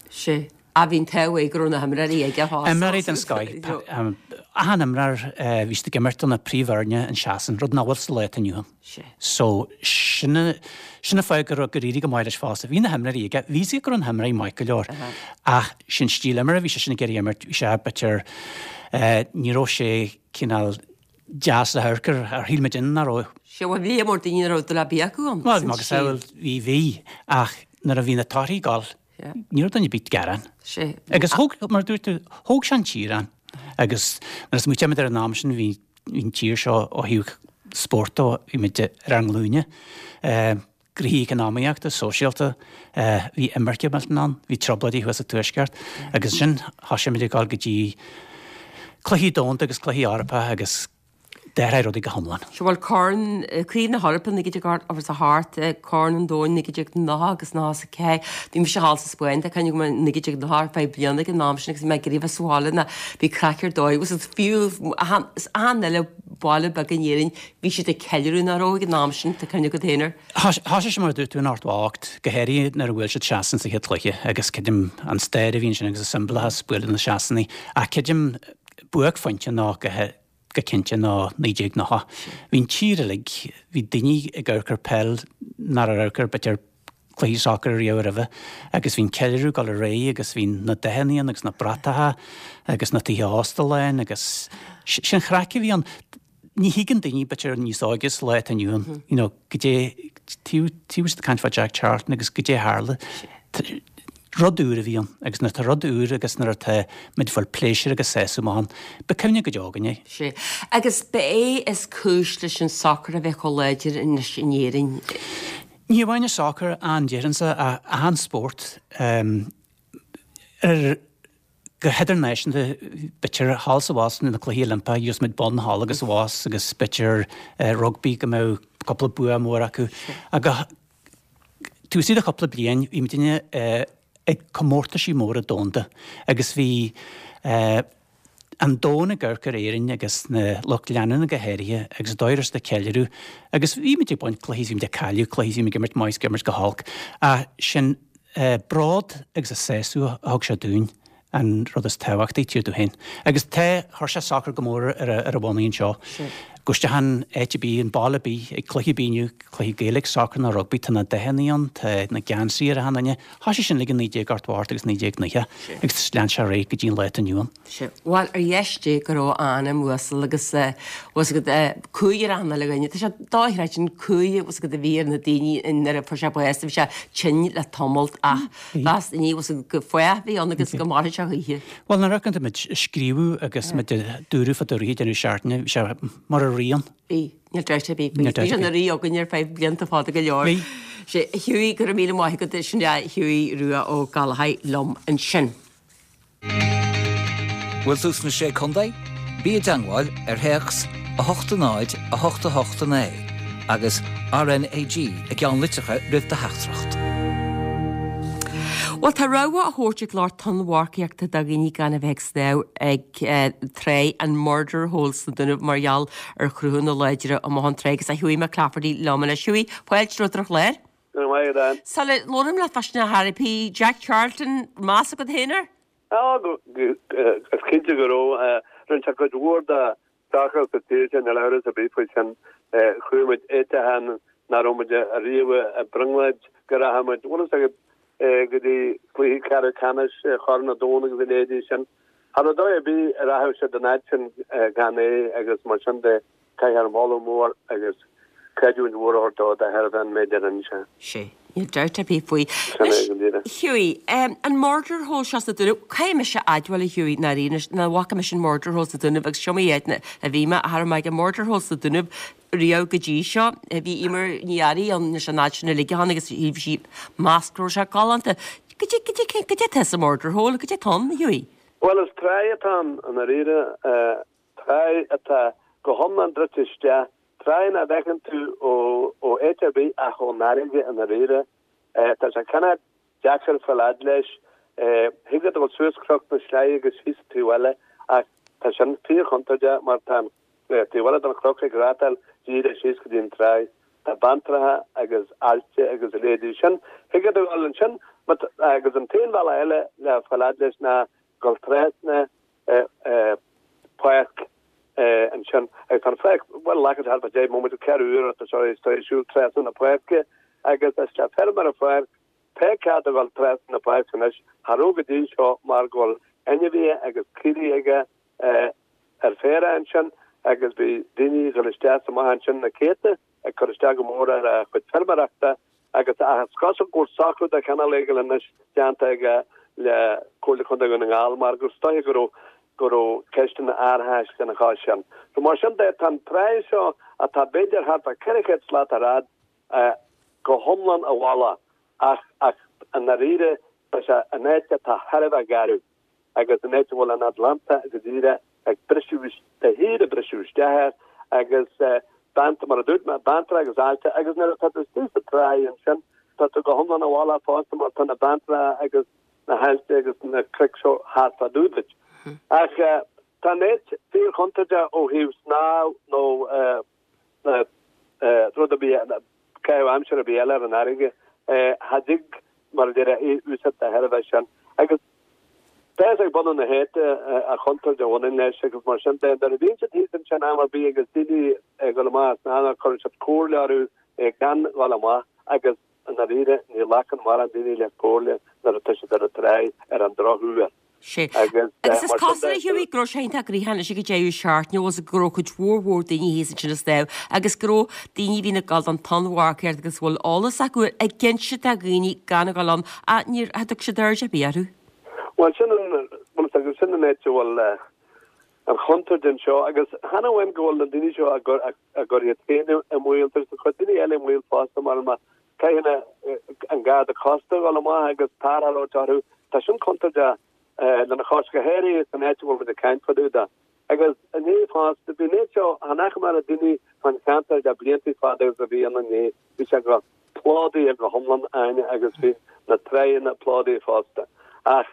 Sea. Ah bhí an t-ádh air go raibh na himreoirí aige fosta. Imreoirí den scoth. Achan imreoir, bhí siad ag imirt do na príomhfhoirne in Sasain, rud nach bhfuil sa lá atá inniu ann. So, sin sin an fáth gur gur éirigh go maith leis fosta. Bhí na himreoirí aige, bhí 'fhios aige go raibh na himreoirí maith go leor. Ach sin stíl imeartha a bhí seisean ag iarraidh imirt, bhí sé b'fhéidir, ní raibh sé cineál deas le hamharc air, ar shíl muid nach raibh. Sea, bhuel bhí lear mór daoine nach raibh dúil ar bith acu ann. Bhuel, agus bhí, bhí, ach nuair a bhí na torthaí ag dul, Ní raibh duine ar bith ag gearán. Agus thóg, mar a dúirt tú, thóg sé an tír ann. Agus nuair a smaoitímid ar an am sin, bhí an tír seo ó thaobh spóirt dó, bhí muid ar ár nglúine. Gnoithí eacnamaíochta, sóisialta, bhí imirce millteanach ann, bhí trioblóidí thuas sa Tuaisceart. Agus ansin thosaigh muid ag dul go dtí cluichí domhanda agus cluichí Eorpacha agus D'athraigh rudaí go hiomlán. Sea, bhuel, Corn, Craobh na hEorpa naoi déag ochtó a hocht, Corn an Domhain naoi déag nócha agus nócha is a ceathair. Bhí mise thall sa Spáinn, tá cuimhne agam i naoi déag nócha ar feadh bliana ag an am sin agus bhí mé ag iarraidh bheith sa bhaile ná bhí craic ar dóigh agus fiú achan achan uile baile beag in Éirinn bhí siad ag ceiliúradh nach raibh ag an am sin, tá cuimhne agat féin air. Thosaigh sé mar a dúirt tú in ochtó a hocht, go háirithe nuair a bhuail siad Sasain sa chéad chluiche agus creidim an stair a bhí ansin agus an siombalachas bualadh na Sasanaigh ach creidim buaicphointe ná go go cinnte ná naoi déag nócha. Bhí an tír uilig, bhí daoine ag amharc ar peil nach raibh amharc ar b'fhéidir cluichí sacair riamh roimhe agus bhí an ceiliúradh ag dul ar aghaidh agus bhí na dathanna ann agus na bratacha agus na tithe ósta lán agus sin chraic a bhí ann. Ní thuigeann daoine b'fhéidir níos óige sa lá atá inniu ann, you know, goidé, taobh taobh ag caint fá Jack Charlton agus goidé a tharla. Rud úr a bhí ann, agus nuair atá rud úr agus nuair atá muid ag fáil pléisiúr agus sásamh amach ann, ba cuimhne go deo againn é. Sea. Agus ba é is cúis leis an sacar a bheith chomh láidir anois in Éirinn. Ní amháin an sacar, an déarfainnse, ach achan spórt. Ar go hidirnáisiúnta, b'fhéidir thall is abhus na Cluichí Oilimpeacha, gheobhas muid bonn thall agus abhus agus b'fhéidir rugbaí go mbeadh cúpla bua mór acu. Ach taobh istigh de chúpla bliain, bhí muidinne ag comórtaisí móra domhanda agus bhí an domhan ag amharc ar Éirinn agus na lucht leanúna go háirithe agus an dóigh a raibh siad ag ceiliúradh agus bhí muid ag baint cluichí, bhí muid ag cailleadh cluichí, bhí muid ag imirt maith is ag imirt go holc ach sin bród agus an sásamh a thug sé dúinn an rud is tábhachtaí, tír tú féin. Agus tá, chuir sé sacar go mór ar a, ar a bhonnaí anseo. Gabh isteach in áit ar bith, an baile ar bith, ag cluiche ar bith inniu, cluiche Gaeilge, sacar nó rugbaí, tá na dathanna ann, tá na geansaí ar achan duine. Thosaigh sin uilig i naoi déag ochtó a hocht agus naoi déag nócha agus lean sé ar aghaidh go dtí an lá atá inniu ann. Sea. Bhuel, ar dheis Dé go raibh a anam uasal agus bhfuil fhios agat, cumhaidh ar achan uile dhuine. Tá sé dochreidte an cumhaidh bhfuil fhios agat a bhí ar na daoine nuair a fuair sé bás, bhí sé tinn le tamalt ach mheas daoine bhfuil fhios agat gur fáth a bhí ann agus go mairfidh sé choíche. Bhuel, nuair a amharcann tú muid ag scríobh agus muid ag dúradh fá dtaobh ag deireadh seachtaine, bhí sé mar a rí ann. Bhí, níl dabht ar bith faoi. Bhí sé ina rí againn ar feadh blianta fada go leor. Bhí. Sea, a Hughie, go raibh míle maith agat, sin é Hughie Rua Ó Gallchóir liom ansin. Bhfuil tú sna Sé Contae? Bí i dteangmháil ar théacs a hocht a náid a hocht a hocht a naoi agus RnaG i gceannlitreacha roimh do theachtaireacht. Bhuel, tá rabhadh á thabhairt ag lucht tonnmharcaíochta do dhaoine gan a bheith ag snámh ag tráigh an Murder Hole sna Dúnaibh mar gheall ar chruthanna láidre amuigh ón tráigh agus tá Hughie McClafferty liom anois. Hughie, fáilte romhat ar an chlár. Go raibh maith agat, Ann. Sula labhraím leat fá sin ar chor ar bith, Jack Charlton, meas agat féin air? Á, is cinnte go raibh. Rinne sé cuid mhór de sacar sa tír sin, níl amhras ar bith faoi sin. Chuaigh muid áiteacha nach raibh muid ariamh i mbrionglóid go rachadh muid, bhfuil fhios agat, go dtí cluichí ceathrú ceannais Chorn an Domhain agus a leithéidí sin. Cha raibh dóigh ar bith a rachadh siad an fhad sin gan é agus mar sin de caithfear moladh mór agus creidiúint mhór a thabhairt dó de thairbhe an méid a rinne sé. Sea, níl dabht ar bith faoi. Sin é go díreach. Hughie, an Murder Hole seo sna Dúnaibh, caithfidh mise a admháil a Hughie, ndáiríre anois, nach bhfaca mise an Murder Hole sna Dúnaibh agus seo í áit a bhí mé, cha raibh mé ag an Murder Hole sna Dúnaibh riamh go dtí seo. Bhí Emer Ní Fhearraigh ann leis an áit sin uilig a tháinig agus bhí sí meas go raibh sé galánta. Goidé, goidé, goidé atá sa Murder Hole, goidé atá ann, a Hughie? Bhuel, is tráigh atá ann i ndáiríre, tráigh atá go hiomlán druidte isteach, tráigh nach bhfeiceann tú ó áit ar bith ach ón fharraige i ndáiríre. Tá sé cineál deacair fáil fhad leis. Thig leat a dhul suas Cnoc na Sleaighe agus síos an taobh eile ach tá sin fíorchontúirteach mar tá an taobh eile den chnoc ag rátáil díreach síos go dtí an tráigh. Tá abhantracha agus aillte agus a leithéidí sin. Thig leat a dhul ansin agus an t-aon bhealach eile le fáil fhad leis ná dul trasna páirc ansin agus tá an pháirc, bhuel, glacann sé thart fá deich mbomaite, ceathrú uaire tá sé tar éis siúl trasna na páirce agus is le feirmeoir an pháirc, tá cead a dhul trasna na páirce anois, cha raibh go dtí seo mar go bhfuil ainmhithe agus caoirigh aige ar féarach ansin agus bhí daoine ag dul isteach is amach ansin na céadta ag cur isteach go mór ar a chuid feirmeoireachta agus ach is cosúil go bhfuil socrú de chineál éigin anois déanta aige le Comhairle Contae Dhún na nGall mar gur is dóiche go raibh go raibh ceisteanna árachais lena chois sin. So mar sin de, tá an tráigh seo atá b'fhéidir thart fá ceithre chéad slat ar fhad go hiomlán i bhfolach ach ach i ndáiríre tá sé in áit atá thar a bheith garbh agus in áit a bhfuil an Atlantach go díreach ag briseadh de shíor ag briseadh isteach air agus beanta mar a dúirt mé, abhantracha agus aillte agus nuair atá tú istigh sa tráigh ansin tá tú go hiomlán i bhfolach fosta mar tá na beantracha agus na haillte agus na cnoic seo thart fá dtaobh duit. Ach tá an áit fíorchontúirteach ó thaobh snámh nó rud ar bith, caitheamh aimsire ar bith eile ar an fharraige. Cha dtig, mar a déarfá, é a úsáid de thairbhe sin. Agus tá fhios ag bunadh na háite an chontúirt a bhaineann leis agus mar sin de, nuair a bhíonn siad thíos ansin am ar bith agus daoine ag dul amach ag snámh cuireann siad comhairle orthu gan dhul amach agus i ndáiríre ní ghlacann mórán daoine le comhairle nuair atá siad ar an tráigh ar an drochuair. Sea. Agus is cosúil, a Hughie, go raibh sé iontach gnoitheach anois ag an deireadh seachtaine agus go raibh cuid mhór mhór daoine thíos ansin ag snámh agus go raibh daoine a bhíonn ag dul don tonnmharcaíocht agus a bhfuil eolas acu ag inse do dhaoine gan a dhul ann ach níor thug siad aird ar bith orthu. Bhuel, sin an, bhuel, sin an áit a bhfuil an chontúirt anseo agus chan amháin go bhfuil na daoine seo ag cur iad féin i mbaol, tá cuid daoine eile i mbaol fosta mar má caitheann an Garda Cósta a dhul amach agus tarrtháil a thabhairt orthu, tá sin contúirteach lena chois, go háirithe san áit a bhfuil muid ag caint fá dtaobh de. Agus inné fosta, bhí an áit seo, chan fhaca mé na daoine fán cheantar le blianta fada agus a bhí ann inné, bhí sé go plódaithe go hiomlán Áine agus bhí na tráigheanna plódaithe fosta. Ach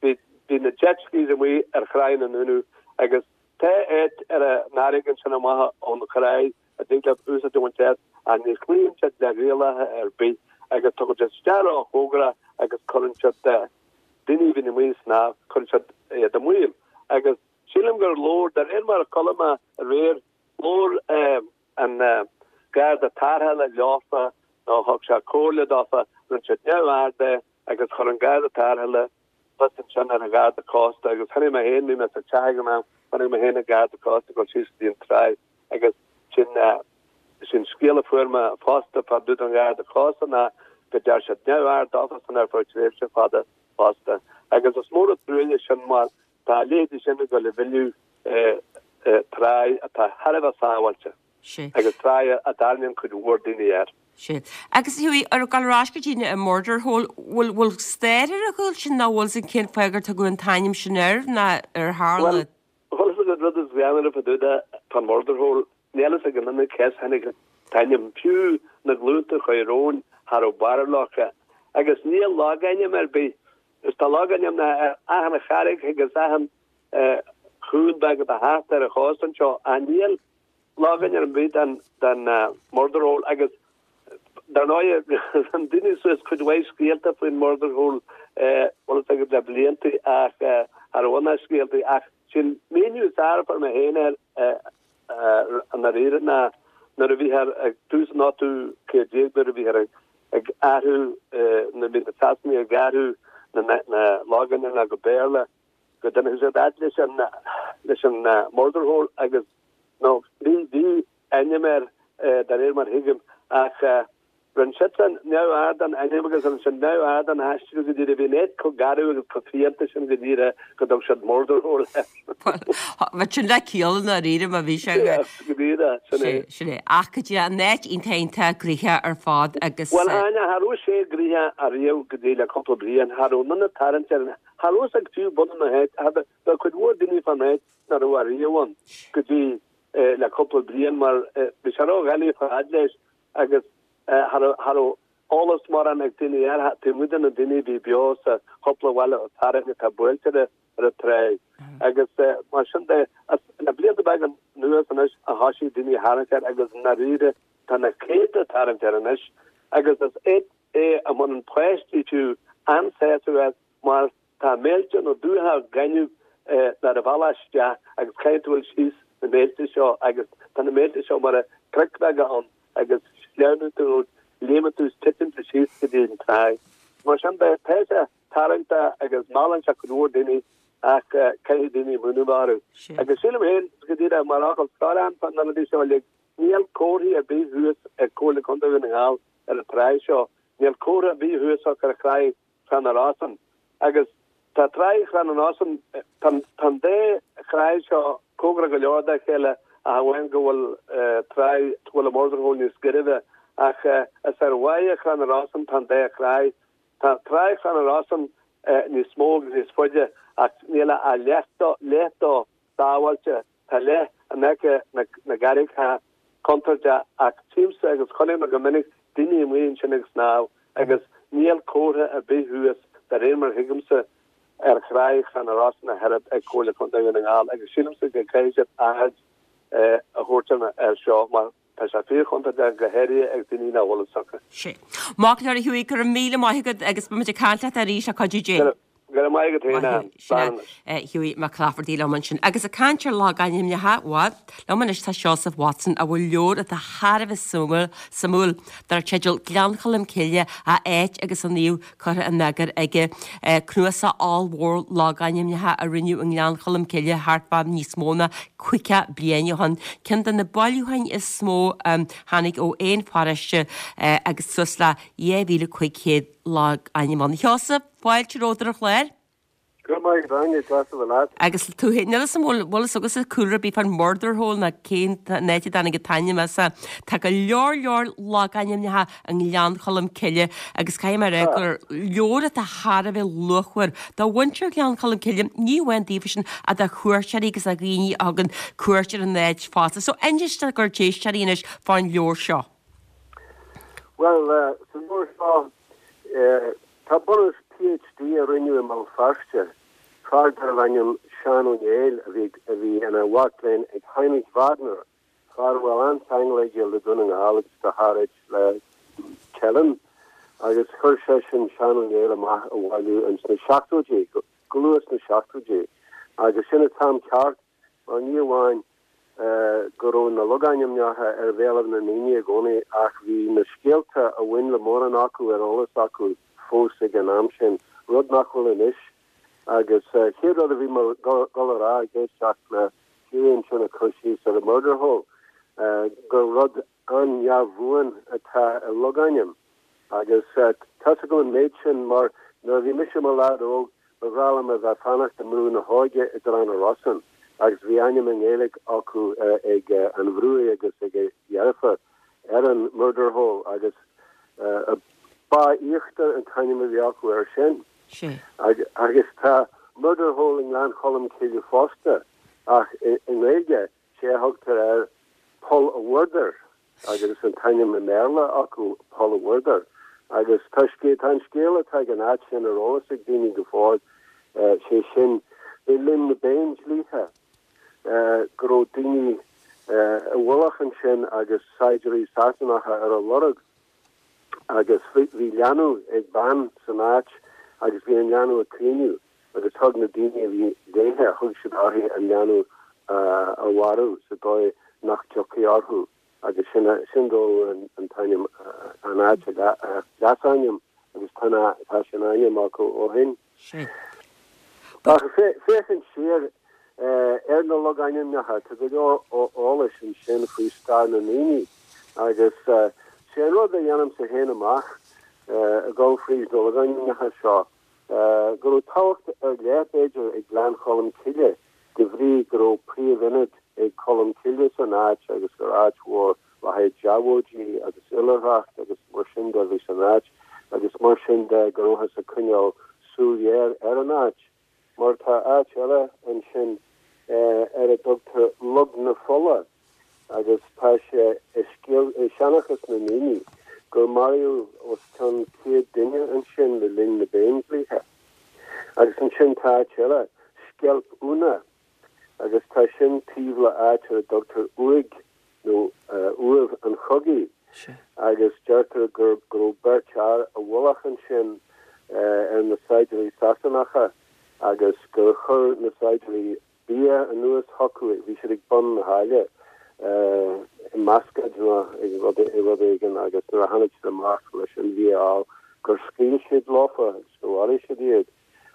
bhí bhí na jet skis amuigh ar Thráigh na nDúnaibh agus tá áit ar an fharraige ansin amach ón thráigh a dtig leat úsáid a bhaint as ach ní chloíonn siad le rialacha ar bith agus tugann siad isteach róchóngarach agus cuireann siad daoine a bhíonn amuigh ag snámh, cuireann siad iad i mbaol. Agus sílim gur labhair, de réir mar a chuala mé aréir, labhair an Garda Tarrthála leofa nó thug sé comhairle dófa, rinne siad neamhaird de agus chuir an Garda Tarrthála fios ansin ar an Gharda Cósta agus chonaic mé féin, bhí mé sa teach ag an am, chonaic mé féin an Garda Cósta ag dul síos go dtí an tráigh agus sin sin scéal a fuair mé fosta fá dtaobh den Gharda Cósta ná go ndearna siad neamhaird dófa san ar feadh tréimhse fada fosta. Agus is mór an truaille sin mar tá a leithéidí sin ag dul a mhilleadh tráigh atá thar a bheith sábháilte agus tráigh a dtarraingíonn cuid mhór daoine air. Sea. Agus a Hughie, ar gabháil ar ais go dtí an Murder Hole, bhfuil bhfuil stair ar a chúl sin nó bhfuil sin cén fáth gur tugadh an t-ainm sin air ná ar tharla? Bhuel, bhfuil fhios agat rud is greannmhaire fá dtaobh de fán Murder Hole, níl fhios ag aon duine cé as a tháinig an t-ainm, fiú na glúnta a chuaigh romhainn, cha raibh barúil acu. Agus níl logainm ar bith, is tá logainmneacha ar achan charraig agus achan chuan beag atá thart ar an chósta anseo, ach níl logainm ar bith den den Murder Hole agus dar ndóigh rinne daoine suas cuid mhaith scéalta faoin Murder Hole bhfuil fhios agat le blianta ach cha raibh ann ach scéalta ach sin míniú is fearr a fuair mé féin air i ndáiríre ná nuair a bhíthear ag tús an ochtú céad déag nuair a bhíthear ag athrú nuair a bhí na Sasanaigh ag athrú na na logainmneacha go Béarla go dtáinig siad fhad leis an leis an Murder Hole agus nó bhí bhí ainm air de réir mar thuigim ach rinne siadsan neamhaird den ainm agus rinne siad neamhaird den aistriú go dtí bhí an áit chomh garbh agus chomh fiánta sin go dtí go dtug siad Murder Hole air. Bheadh sin le ciall i ndáiríre má bhí sé go. Go díreach, sin é. Sin é. Ach go dtí an áit iontach iontach gnoitheach ar fad agus. Bhuel, Áine, cha raibh sé gnoitheach ariamh go dtí le cúpla bliain, cha raibh aon duine ag tarraingt air, cha raibh fhios ag fiú bunadh na háite, bheadh cuid mhór daoine fán áit nach raibh ariamh ann go dtí le cúpla bliain mar bhí sé ródhoiligh fad leis agus cha raibh eolas mórán ag daoine air taobh amuigh de na daoine a bhí beo sa chúpla bhaile fearainn atá buailte ar an tráigh. Agus mar sin de, le blianta beaga anuas anois a thoisigh daoine a tharraingt air agus i ndáiríre tá na céadta ag tarraingt air anois agus is áit é a mbaineann páistí fiú an-sásamh as mar Tá méilte nó dumhcha gainimh ar an bhealach isteach agus caithfidh tú dul síos na méilte seo agus tá na méilte seo mar cnoic bheaga ann agus sleamhnann tú nó léimeann tú is titeann tú síos go dtí an tráigh. Mar sin de, tá sé tarraingteach agus meallann sé cuid mhór daoine ach caithfidh daoine múineadh orthu. Agus sílim féin, go díreach mar fhocal scoir ann fá na rudaí seo uilig, níl comharthaí ar bith thuas ag Comhairle Contae Dhún na nGall ar an tráigh seo, níl comhartha ar bith thuas acu ar thráigh Chrann na Rosann. Agus tá Tráigh Chrann na Rosann, tá an dá thráigh seo cóngarach go leor dá chéile ach amháin go bhfuil tráigh, go bhfuil an Murder Hole níos gairbhe. Ach is ar bháighe Chrann na Rosann tá an dá thráigh. Tá Tráigh Chrann na Rosann níos mó agus níos faide ach níl ach leath dó, leath dó sábháilte. Tá leath in aice na gcarraigeacha contúirteach ach tchímse agus chonaic mé go minic daoine amuigh ansin ag snámh agus níl comhartha ar bith thuas, de réir mar a thuigimse, ar Thráigh Chrann na Rosann ach oiread ag Comhairle Contae Dhún na nGall agus sílimse go gcaithfidh siad aird a thabhairt air seo mar tá sé fíorchontúirteach go háirithe ag daoine nach bhfuil fhios acu. Sea. Maith go leor a Hughie, go raibh míle maith agat agus beidh muid ag caint leat arís le cuidiú Dé. Go raibh maith agat féin, Ann. Slán anois. Hughie Mac Laifeartaigh liom ansin. Agus ag caint ar logainmneacha, bhuel, liom anois tá Seosamh Watson a bhfuil leabhar atá thar a bheith suimiúil, suimiúil, dar teideal Gleann Cholm Cille, a áit agus a naomh curtha in eagar aige. Cnuasach ollmhór logainmneacha a rinneadh i nGleann Cholm Cille thart fá níos mó ná caoga bliain ó shin. Ceann de na bailiúcháin is mó a tháinig ó aon pharóiste agus suas le dhá mhíle cúig chéad logainm ann. A Sheosaimh, fáilte romhat ar an chlár. Go raibh maith agat, Áine, deas a bheith leat. Agus tú féin, níl 'fhios a'm bhfuil bhfuil 'fhios agatsa cúlra ar bith fán Murder Hole ná cén áit a dtáinig an t-ainm as. Tá go leor leor logainmneacha i nGleann Cholm Cille agus caithfidh mé a rá gur leabhar atá thar a bheith luachmhar do mhuintir Ghleann Cholm Cille, ní amháin daofa sin ach do chuairteoirí agus do dhaoine a thugann cuairt ar an áit fosta. So inis dár gcuid éisteoirí anois fán leabhar seo. Bhuel, sa leabhar seo, tá bunús PhD a rinneadh i mBéal Feirste, fear darbh ainm Seán Ó Néill a bhí a bhí ina mhac léinn ag Heinrich Wagner, fear a bhfuil an-cheangal aige le Dún na nGall agus go háirid le Teileann. agus chuir seisean Seán Ó Néill amach a bhailiú ins na seachtóidí, go luath sna seachtóidí, agus sin an t-am ceart mar ní amháin go raibh na logainmneacha ar bhéalaibh na ndaoine i gcónaí ach bhí na scéalta a bhain le mórán acu ar eolas acu fós ag an am sin, rud nach bhfuil anois. Agus chéad rud a bhí mé dul a rá ag éisteacht le Hughie ansin ag cur síos ar an Murder Hole, gur rud an-neamhbhuan atá i logainm. Agus tá's agam an méid sin mar nuair a bhí mise i mo leaid óg ba bhreá liom a bheith ag fanacht i mBrú na hÓige i dTrá na Rosann agus bhí ainm i nGaeilge acu ag an Bhrughaidh agus ag a dheirfiúr ar an Murder Hole agus Bá Íochtar an t-ainm a bhí acu air sin. Agus tá Murder Hole i nGleann Cholm Cille fosta ach i nGaeilge sé a thugtar air Poll a' Mhurdair agus is an t-ainm i mBéarla acu Poll a' Mhurdair. Agus tá tá an scéal atá ag an áit sin ar eolas ag daoine go fóill, sé sin, le linn na bPéindlíthe, go raibh daoine i bhfolach ansin agus saighdiúirí Sasanacha ar a lorg agus bhí leanbh ag bean san áit agus bhí an leanbh ag caoineadh agus thug na daoine a bhí léithe, thug siad uirthi an leanbh a mharú sa dóigh nach dtiocfaí orthu agus sin sin dóigh an t-ainm an áit a leasainm agus tá tá sin ainm acu ó shin. Ach féachaint siar ar na logainmneacha tá go leor eolais ansin faoi stair na ndaoine agus sé an rud a dhéanaimse féin amach ag dul fríd na logainmneacha seo go raibh tábhacht ar leith, b'fhéidir, ag Gleann Cholm Cille de bhrí go raibh príomhionad ag Colm Cille san áit agus gur áit mhór le haghaidh deabhóidí agus oilithreacht agus mar sin de a bhí san áit agus mar sin de go rabhthas ag coinneáil súil ghéar ar an áit mar tá áit eile ansin ar a dtugtar Log na Fola agus tá sé i scéal i seanchas na ndaoine gur maraíodh os cionn céad duine ansin le linn na bPéindlíthe. Agus ansin tá áit eile, Sceilp Úna, agus tá sin taobh le áit ar a dtugtar Uaigh nó Uaimh an Chogaidh agus deirtear gur go raibh beirt fhear i bhfolach ansin ar na saighdiúirí Sasanacha agus gur chuir na saighdiúirí bia anuas chucu, bhí siad ag bun na haille i mbascaed nó i rud éigin agus nuair a tháinig siad amach leis an bhia a fháil gur scaoil siad leofa agus gur mharaigh siad iad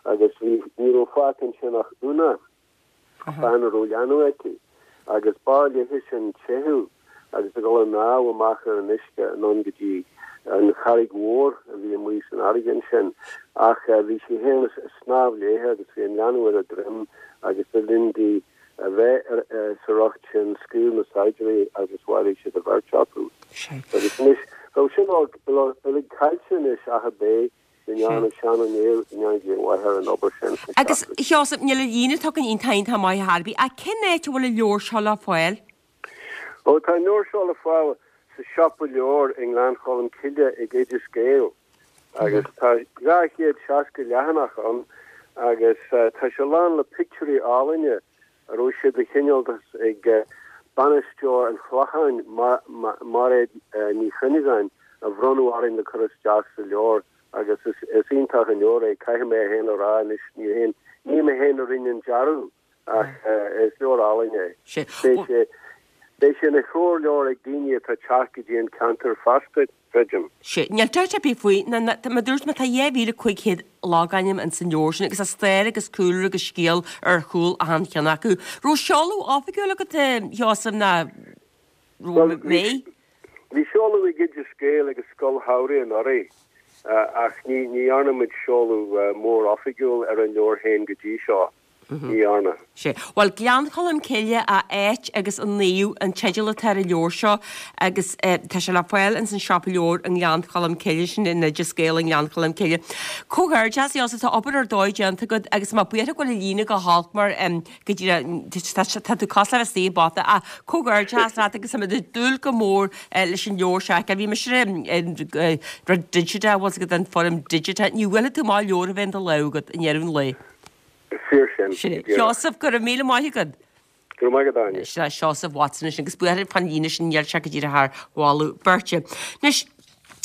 agus bhí ní raibh fágtha ansin ach Úna. bean a raibh leanbh aici, agus b'fhearr léithe sin teitheadh agus a dhul ag snámh amach ar an uisce anonn go dtí an charraig mhór a bhí amuigh san fharraige ansin. Ach bhí sí féin ag snámh léithe agus bhí an leanbh ar a droim agus le linn di a bheith sa riocht sin scaoil na saighdiúirí agus mharaigh siad an bheirt acu. Agus anois, bheadh sin uilig caillte anois ach ab é Go ndearna Seán Ó Néill, go ndéana Dia a mhaith air an obair sin sna Agus, a Sheosaimh, níl an líne atá againn iontach iontach maith ar chor ar bith, ach cén áit a bhfuil an leabhar seo le fáil? Ó, tá an leabhar seo le fáil sa siopa leabhar i nGleann Cholm Cille ag Oideas Gael agus tá dhá chéad seasca leathanach ann agus tá sé lán le pictiúirí álainne a raibh sé de chineáltas ag bainisteoir an Chlocháin, Mairéad Ní Chuinneagáin, a bhronnadh orainn le cur isteach sa leabhar agus is iontach an leabhar é, caithfidh mé féin a rá anois, ní féin, ní mé féin a rinne an dearadh ach is leabhar álainn é. Beidh sé, beidh sé ina threoirleabhar ag daoine atá ag teacht go dtí an ceantar feasta, creidim. Sea, níl dabht ar bith faoi, ná, ná, mar a dúirt mé, tá dhá mhíle cúig chéad logainm ins an leabhar sin agus tá stair agus cúlra agus scéal ar chúl achan cheann acu. Raibh seoladh oifigiúil agat, a Sheosaimh, ná Bhuel, bhí, bhí seoladh ag Oideas Gael ag an scoil shamhraidh anuraidh ach ní, ní dhearna muid seoladh mór oifigiúil ar an leabhar féin go dtí seo. Ní dhearna. Sea. Bhuel, Gleann Cholm Cille, a áit agus a naomh an teideal atá ar an leabhar seo agus tá sé le fáil ins an siopa leabhar i nGleann Cholm Cille, sin in Oideas Gael i nGleann Cholm Cille. Comhghairdeas, a Sheosaimh, tá obair ar dóigh déanta agat agus tá mé buartha go bhfuil an líne go holc mar go díreach tá tú cosúil le bheith istigh i bpota ach comhghairdeas leat agus táimid ag dúil go mór leis an leabhar seo a fheiceáil. Bhí mise ar an rud digiteach, bhfuil 's agat an foirm digiteach, ní bhuailfidh tú amach leabhar a bheith in do lámh agat i ndeireadh an lae. Fíor sin. Sin é. Seosamh, go raibh míle maith agat. Go raibh maith agat, Áine. Sin é Seosamh Watson ansin agus buartha fán líne sin níl sé go díreach thar mholadh beirte. Anois,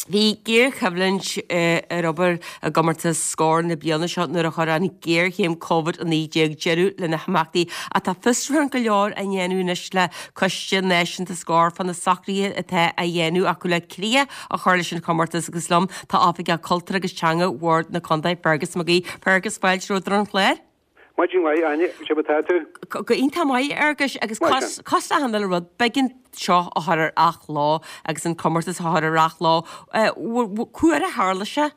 Bhí géarchoimhlint ar obair i gcomórtas Scór na bliana seo nuair a chuir an ghéarchéim Covid a naoi déag deireadh lena himeachtaí ach tá fiosrúchán go leor á ndéanamh anois le Coiste Náisiúnta Scór fá na socruithe atá á dhéanamh acu le críoch a chur leis an chomórtas agus liom tá Oifigeach Cultúir agus Teanga Bhord na Contae Fergus Mac Aoidh. Fergus, fáilte romhat ar an chlár. Maidin mhaith, Áine, cad é mar atá tú? Go iontach maith, a Fhearghuis, agus cosúil le achan uile rud, b'éigean seo a chur ar athló agus an comórtas a chur ar athló. Cá huair a tharla sé?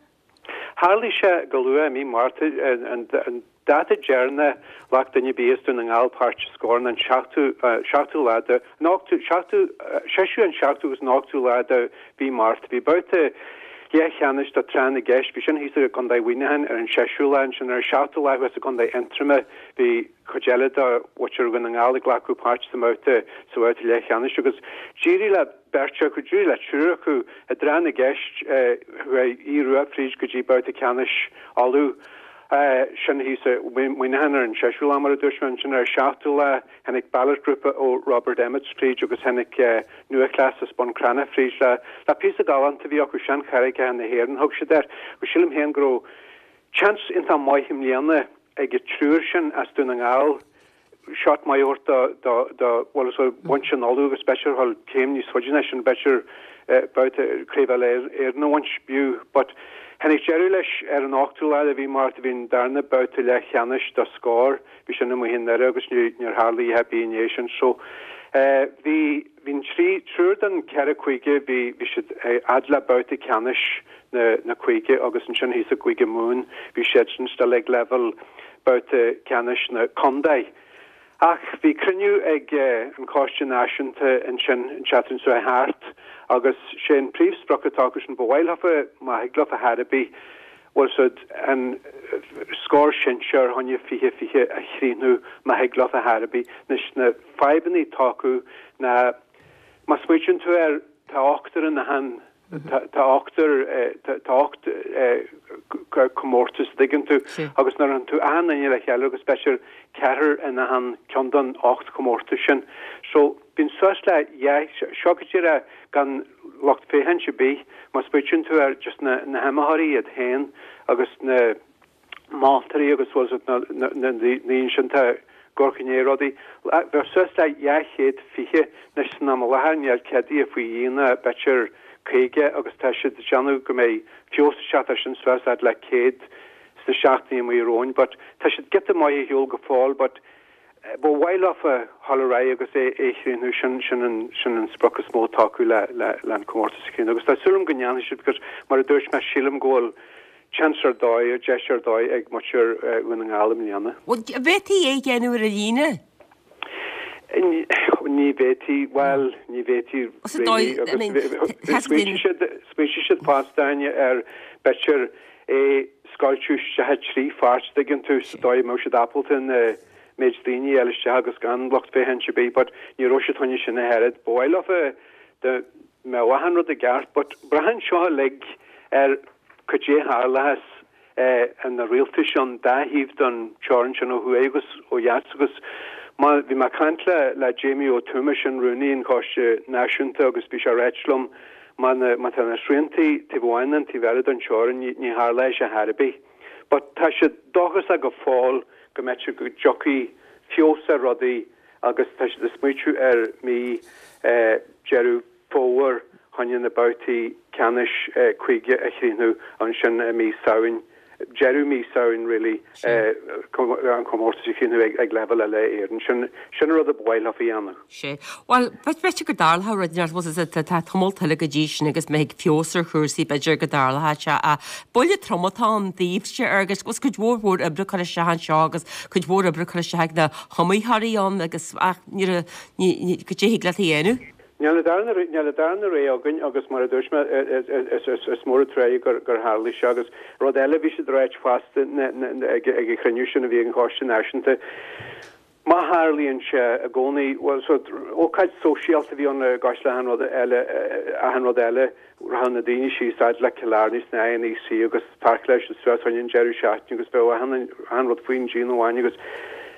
Tharlaigh sé go luath i mí Márta, an dáta deireanach ghlac duine ar bith as Dún na nGall páirt i Scór ná an seachtú, seachtú lá de, an ochtú, seachtú, seisiú an seachtú agus an ochtú lá de mhí Márta. Bhí babhta leathcheannais do Tráth na gCeist, bhí sin thíos i gContae Mhuineacháin ar an seisiú lá, ansin ar an seachtú lá thuas i gContae Aontroma bhí cuid eile de mhuintir Dhún na nGall ag glacadh páirt sa mbabhta sa bhabhta leathcheannais agus d'éirigh le beirt acu, d'éirigh le triúr acu i dTráth na gCeist, chuaigh Aodh Rua fríd go dtí babhta ceannais Uladh. Sin thíos i Muineachán ar an seisiú lá mar a dúirt mé, ansin ar an seachtú lá tháinig Ballot grúpa ó Robert Emmetts fríd agus tháinig Nua-Chleas as Bun Cranncha fríd le le píosa galánta a bhí acu, Seancharraigeacha na hÉireann thug siad air. Agus sílim féin go raibh seans iontach maith i mbliana ag an triúr sin as Dún na nGall shot maith a thabhairt do, do, bhuel, so bhaint an Uladh agus b'fhéidir dhul céim níos faide ná sin, b'fhéidir babhta Craobh Uile-Éireann a bhaint, b'fhiú. But tháinig deireadh leis ar an ochtú lá de mhí Márta, bhí an darna babhta leathcheannais do Scór, bhí sin amuigh i nDoire agus níor tharla a dhath ar bith i ndiaidh sin. So bhí, bhí an trí, triúr den ceithre cúige, bhí, bhí siad fhad le babhta ceannais na, na cúige agus ansin thíos i gCúige Mumhan, bhí siadsan still ag leibhéal babhta ceannais na contae. Ach bhí cruinniú ag an Choiste Náisiúnta ansin an tseachtain seo thart agus sé an príomhsprioc atá acu sin, ba mhaith leofa, má thig leofa ar chor ar bith, bhfuil a fhios agat, an Scór Sinsear choinne fiche fiche a chríochnú má thig leofa ar chor ar bith. Anois na fadhbanna atá acu ná má smaoitíonn tú air tá ochtar in achan Tá ochtar, tá ocht comórtas, an dtuigeann tú, agus nuair a théann tú achan duine le chéile agus b'fhéidir ceathrar in achan ceann den ocht comórtas sin. So, bíonn suas le dhá, seo go díreach gan lucht féachaint ar bith, má smaoitíonn tú ar just na hiomaitheoirí iad féin agus na, moltóirí agus bhfuil a fhios agat na daoine sin atá ag amharc i ndiaidh rudaí. Bheadh suas le dhá chéad fiche anois san am i láthair níl ceadaithe faoi dhó ach b'fhéidir caoga agus tá siad ag déanamh go mbeidh feabhas ag teacht ar sin suas fhad le céad sna seachtainí amuigh romhainn but tá siad giota maith ar shiúl go fóill but ba mhaith leofa dhul ar aghaidh agus é a chríochnú sin sin an sin an sprioc is mó atá acu le le le an comórtas a chríochnú agus tá súil agam go ndéanfaidh siad because mar a dúirt mé sílim go bhfuil seans ar dóigh, deis ar dóigh ag muintir Dhún na nGall i mbliana. Bhuel, an bhféadfaí é a dhéanamh ar líne? Ní bhféadfaí, bhuel, ní bhféadfaí really agus smaointigh siad, smaointigh siad fosta Áine ar b'fhéidir é scoilteadh isteach i trí pháirt, tuigeann tú, sa dóigh a mbeadh siad ábalta an méid daoine a fháil isteach agus gan lucht féachaint ar bith but ní raibh siad choinne sin ach oiread. Ba mhaith leofa dá mbeadh achan rud i gceart but braitheann seo uilig ar Cad é a tharlóchas na rialtais an dá thaobh den teorainn sin ó thuaidh agus ó dheas agus má bhí mé ag caint le le Jamie Ó Tuama sin rúnaí an Choiste Náisiúnta agus bhí sé ag ráit liom má na má tá na sriantaí taobh amháin nó an taobh eile den teorainn ní ní tharlóidh sé chor ar bith. But tá siad dóchasach go fóill go mb'fhéidir go dtiocfaidh feabhas ar rudaí agus tá siad ag smaoitiú ar mí Deireadh Fómhair choinne na babhtaí ceannais cúige a chríochnú ansin i mí Samhain, deireadh mí Samhain really, an comórtas a chríochnú ag leibhéal uile-Éireann. Sin sin an rud a ba mhaith leofa a dhéanamh. Sea. Bhuel, b'fhéidir go dtarlódh rud inteacht, bhuel, tá tá tamall eile go dtí sin agus má thig feabhas ar chúrsaí b'fhéidir go dtarlódh sé ach buille trom atá ann daoibhse agus bhuel cuid mhór mhór oibre curtha isteach anseo agus cuid mhór oibre curtha isteach ag na hiomaitheoirí ann agus ach ní ní cad é thig leat a dhéanamh. Níl an darna níl an darna rogha againn agus mar a dúirt mé is mór an truaighe gur gur tharlaigh sé agus rud eile bhí siad ag ráit fosta ag ag an chruinniú sin a bhí ag an Choiste Náisiúnta má tharlaíonn sé i gcónaí bhuel so ócáid sóisialta a bhí ann i gcás le achan rud eile achan rud eile rachadh na daoine síos fhad le Cill Airne sna INEC agus pháirceáladh siad suas choinne an deireadh seachtaine agus bheadh achan achan rud faoin díon amháin agus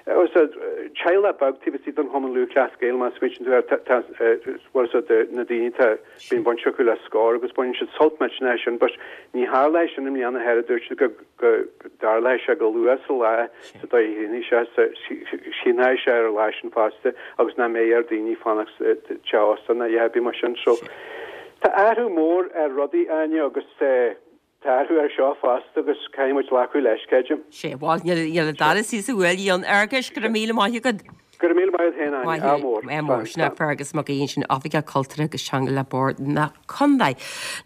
Teaghlach beag taobh istigh den Chumann Lúthchleas Gael má smaoiníonn tú air tá bhfuil a fhios agat na daoine tá bíonn baint acu le Scór agus baineann siad sult millteanach as sin but ní tharlóidh sin i mbliana thoir dúirt siad go go dtarlóidh sé go luath sa lá sa dóigh a shínfidh sé sínfidh sé ar an lá sin fosta agus nach mbeidh ar daoine fanacht teach ósta ná a dhath ar bith mar sin so tá athrú mór ar rudaí Áine agus Tá athrú air seo fosta agus caithfidh muid glacadh leis, creidim. Sé, bhuel, níl an dara suí sa bhuaile ann. Fhearghuis, go raibh míle maith agat. Go raibh míle maith agat féin, Áine. Ádh mór. Ádh mór. Sin é Feargus Mac Aoidh ansin, Oifigeach Cultúrtha agus Teanga le Bord na Contae.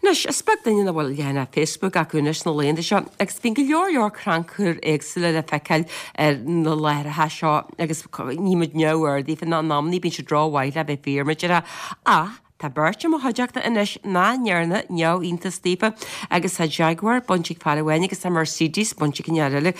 Anois, is beag duine nach bhfuil leathanach Facebook acu anois sna laethanta seo agus bíonn go leor leor crannchur éagsúla le feiceáil ar na láithreacha seo agus ní muid neamhaird daofa ná in amannaí bíonn siad rómhaith le bheith fíor, mar a déarfá. Ach, Tá beirt i mo chuideachta anois nach ndearna neamhiontas daofa agus tá Jaguar bainte ag fear amháin agus tá Mercedes bainte ag an fhear eile.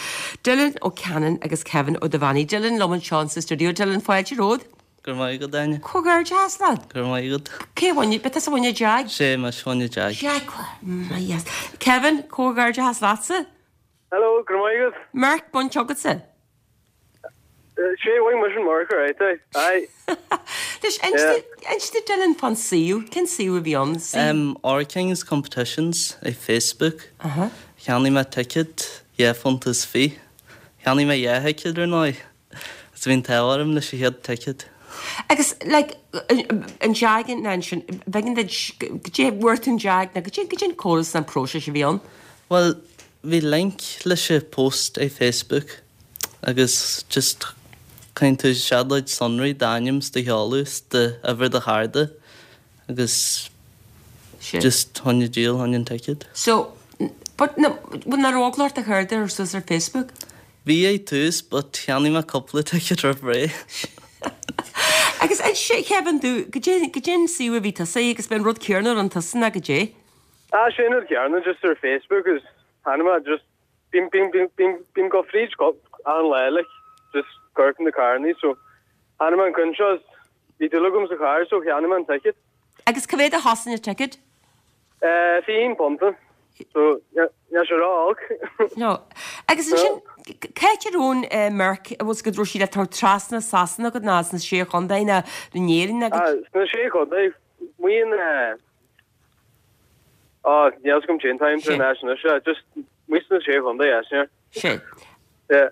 Dylan Ó Ceanainn agus Kevin Ó Duibheannaigh. Dylan liom anseo sa stiúideo. Dylan, fáilte romhat. Go raibh maith agat, Áine. Comhghairdeas leat. Go raibh maith agat. Cé a bhain, ab tusa a bhain an Jag? Sé, mise a bhain an Jag. Jaguar, my yes. Kevin, comhghairdeas leatsa. Hello, go raibh maith agat. Merc bainte agatsa. Sé, bhain mise an Merc alright, aye. Aye. Anois, inis do Dylan fán suíomh, cén suíomh a bhí ann? Um, R Kings Competitions ar Facebook. Cheannaigh mé ticket, dhá phunt is fiche. Cheannaigh mé dhá thicéad ar ndóigh. Is bhí an t-ádh orm leis an chéad ticket. Agus, like, an Jag ná ansin, bheinn duit, goidé, bhfuair tú an Jag ná goidé, goidé an córas ná an próiseas a bhí ann? Bhuel, bhí link leis an post ar Facebook agus just cuireann tú isteach do chuid sonraí, d'ainm 's do sheoladh 's d'uimhir do chárda agus just tháinig díol, tháinig an ticket. So, but na, bhuel nach raibh eagla ort do chairde a chur suas ar Facebook? Bhí ag tús but cheannaigh mé cúpla ticket roimh ré. Agus inis, Kevin, domh, goidé, goidé an suíomh a bhí tusa agus b'é an rud céanna a rinne tusa ná goidé? Ah, sé an rud céanna just ar Facebook agus tháinig mé just bím bím bím bím bím go fríd go an lá like just amharc na carrannaí so tháinig mé an ceann seo is bhí dúil agam sa charr so cheannaigh mé an ticket. Agus cá mhéad a chosain an ticket? Eh, fiche aon punt. So níl sé ró-olc. No. Agus ansin cá háit a raibh an Merc a bhfuil go raibh sí le tabhairt trasna Sasana go ná sna Sé Chontae ná in Éirinn agus. Ah, sna Sé Chontae, maíonn eh Á, níl fhios agam cén t-am tar éis anois, eh, just amuigh sna Sé Chontae, yeah, sin é. Sé. Yeah.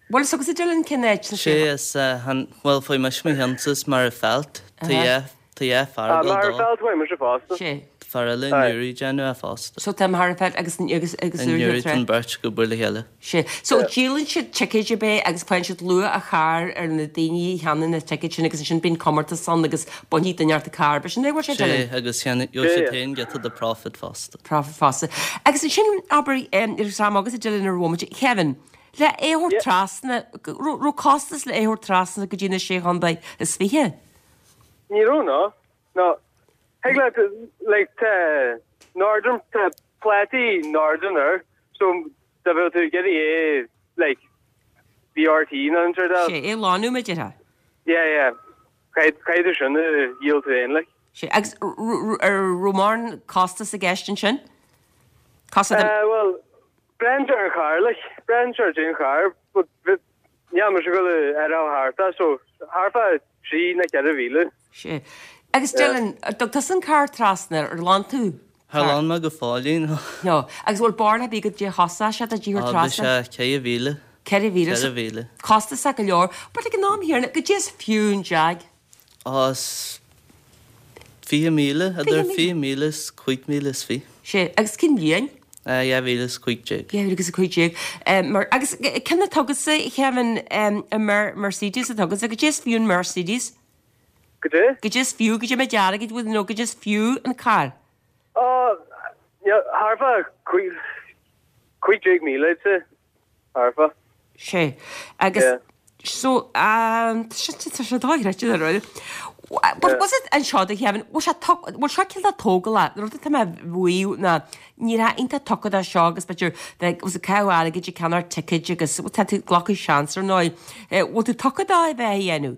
Bhfuil fhios agatsa Dylan cén áit sna Sé Sé is eh, han, bhuel, fuair mise mo cheannsa as Magherafelt, tá dhá, tá dhá fear Ah, ag dul dó. Magherafelt, fuair mise fosta. Sé. Tá fear eile i Newry ag déanamh é fosta. So tá Magherafelt agus agus agus I Newry tá an bheirt ag obair le chéile. Sé. So díolann siad ticéid ab é agus faigheann siad luach an chairr ar na daoine a cheannaíonn na ticéid sin agus ansin bíonn comórtas ann agus bainfidh duine ort an carr. B'shin é a bhfuil sé Sé, Dylan? agus gheobhaidh siad féin giota de profit fosta. Profit fosta. Agus ansin abair agus am agatsa Dylan ar bhomaite, Kevin, le é a thabhairt trasna, raibh costas le é a thabhairt trasna go dtí na sé chontae is fiche? Ní raibh no. No. Thig leat like tá Northern tá plátaí Northern air so dá bhfuil tú ag iarraidh é like VRT nó an sort of. Sé, é a lánú mar a déarfá. Yeah yeah. Caithfidh caithfidh tú sin a dhíol tú féin like. Sé, agus ar raibh mórán costas i gceist ansin? Costas Eh bhuel braitheann sé ar an charr like braitheann sé ar an charr but níl mise ag dul ar a thart é so thart fá trí nó ceithre mhíle. Sé. Agus Dylan, ar thug tusa an carr trasna, ar ghlan tú? Char ghlan mé go fóillín. No. Agus bhfuil barúil ar bith goidé a chosain sé duit a thabhairt Á, bhí trasna? sé ceithre mhíle. Ceithre mhíle. Ceithre mhíle. Costasach go leor. But ag an am chéanna, goidé is fiú an Jag? Á, is fiche míle, idir fiche míle is cúig mhíle is fiche. Sé. Agus cén bhliain? Dhá mhíle is cúig déag. Dhá mhíle agus a cúig déag. Mar, agus cén atá agatsa, a Kevin, an Mercedes atá agatsa, goidé is fiú an Mercedes? Goidé? Goidé is fiú, goidé méid airgid, bhfuil, nó goidé is fiú an carr? Á, thart fá cúig, cúig déag míle, I'd say. Thart fá. Sé. Agus, so, tá sé dochreidte dáiríre. But was it anseo do Kevin, bhfuil sé bhfuil seo cineál tógálach, an rud atá mé a mhaíomh ná ní raibh iontach tugtha dó seo agus b'fhéidir bheith was ag caitheamh airgid ag ceannacht ticéid agus tá tú ag glacadh seans ar ndóigh. Bhfuil tú tugtha dó a bheith a dhéanamh?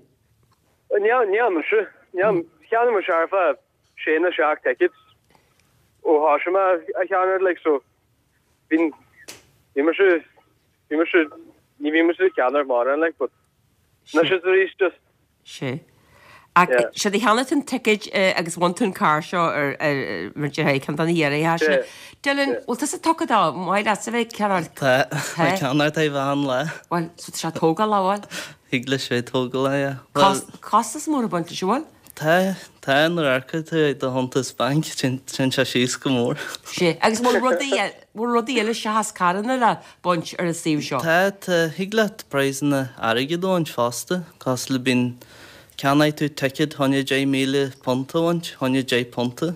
Níl, níl mise. Níl, cheannaigh mise thart fá sé nó seacht tickets ó thosaigh mé a cheannacht like so bhí, bhí mise, bhí mise, ní bhí mise ag ceannacht mórán like but Anois is arís just. Sea. Ach sé do cheannaigh tú an ticéad agus bhain tú an carr seo ar mar deir ceann de na hiarraidh sin. Dylan, bhfuil tusa tugtha dó? Maith leatsa bheith ag ceannacht. Tá, tá mé ag ceannacht achan lá. Bhuel, so tá sé tógálach, bhfuil? Thig leis bheith tógálach, yeah. Bhuel. Costas mór ag baint leis, an bhfuil? Tá, tá, nuair a amharcann tú ar do chuntas bainc, téann sé síos go mór. Sea, agus bhfuil rudaí, bhfuil rudaí eile seachas carranna le baint ar an suíomh seo? Tá, tá, thig leat praghsanna airgid a bhaint fosta, cosúil le bíonn Ceannóidh tú ticéad chun deich míle punt a bhaint, chun deich punta.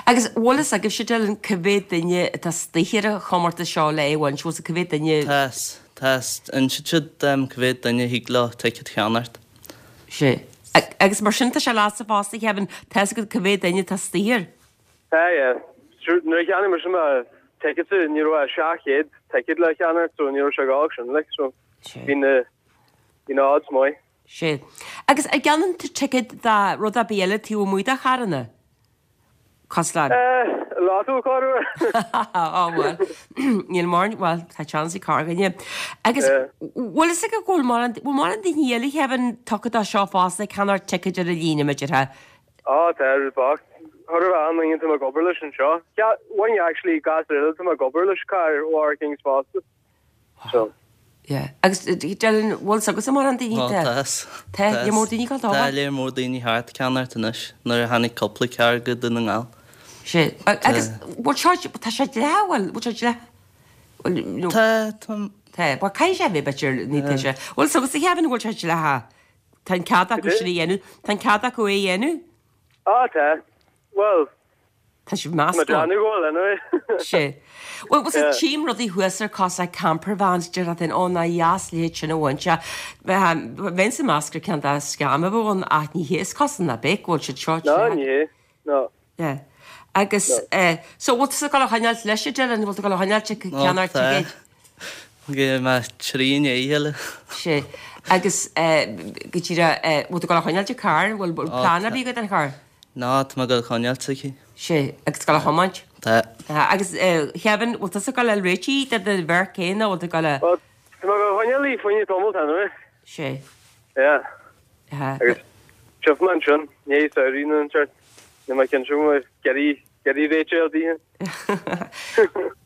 Agus bhfuil fhios agaibhse, Dylan, cá mhéad duine atá istigh ar an chomórtas seo le é a bhaint, bhfuil fhios cá mhéad duine? Tá, tá, insíonn siad cá mhéad duine thig leo ticéad a cheannacht. Sea. Agus mar sin tá sé leatsa fosta, Kevin, tá fhios agat cá mhéad duine atá istigh air? Tá, yeah. Sure, nuair a cheannaigh mise mo tickets ní raibh ach seacht chéad ticket le ceannacht so ní raibh sé gá sin, like, so bhí na, bhí na odds maith. Sea. Agus an gceannaíonn tú ticéad do rud ar bith eile taobh amuigh de charranna? Cosúil le. Eh, lotto corruair. Á bhuel, níl mórán, bhuel, tá seans ag corrdhuine. Agus bhfuil fhios agat go bhfuil mórán, bhfuil mórán daoine eile, Kevin, tugtha dó seo fosta, ag ceannacht ticéid ar an líne, mar a déarfá. Á, tá, rud bocht. Chóir a bheith an-duine atá mé ag obair leis anseo. Bhain actually gasúr eile atá mé ag obair leis carr ó Kings fosta. So. Yeah. Agus Dylan, bhfuil fhios agatsa mórán daoine Ó, tá? tá. Tá, léar mór daoine ag dul dó. Tá léar mór daoine thart ag ceannacht anois nuair a tháinig cúpla carr go Dún na nGall. Sea. Agus bhfuil seo, tá sé dleathach, bhfuil, bhfuil sé dleathach? Bhfuil, no. Tá, tá. Tá, bhuel caithfidh sé a bheith b'fhéidir, ní tá sé. Bhfuil fhios agatsa Kevin, bhfuil sé dleathach? Tá an cead acu sin a dhéanamh, tá an cead acu é a dhéanamh? Á, tá. Bhuel, Tá sibh meascán. Tá mé ag déanamh go bhfuil anyway. Sea. Bhuel, bhuel, sea, tchím rudaí thuas ar cosúil le camper vans, deir duine, ó, nár dheas leithéid sin a bhaint. Bheinnse ag meas gur ceann de scam a bheadh ann ach ní hé, is cosúil ná beadh, go bhfuil siad seo No, ní hé. No. Yeah. Agus, eh, so bhfuil tusa ag dul a choinneáilt leis, a Dylan, bhfuil tú ag dul a choinneáilt ag ceannacht ticéid? Gheobhaidh mé trí i ndiaidh a chéile. Sea. Agus, eh, go díreach, eh, bhfuil tú ag dul a choinneáilt an carr, bhfuil plean ar bith agat don charr? Ná, tá mé ag dul a choinneáilt aici. Sea, agus ag dul a thiomáint? Tá. Agus Kevin, bhfuil tusa ag dul a fháil réitithe do do Mherc féin nó bhfuil tú ag dul a. Bhuel, tá mé ag dul a choinneáil í fá choinne tamall anyway. Sea. Yeah. Agus tchífidh mé ansin, i ndiaidh samhraidh nó an seort, níl mé cinnte go mbeidh ag iarraidh réiteach a fháil daoithe.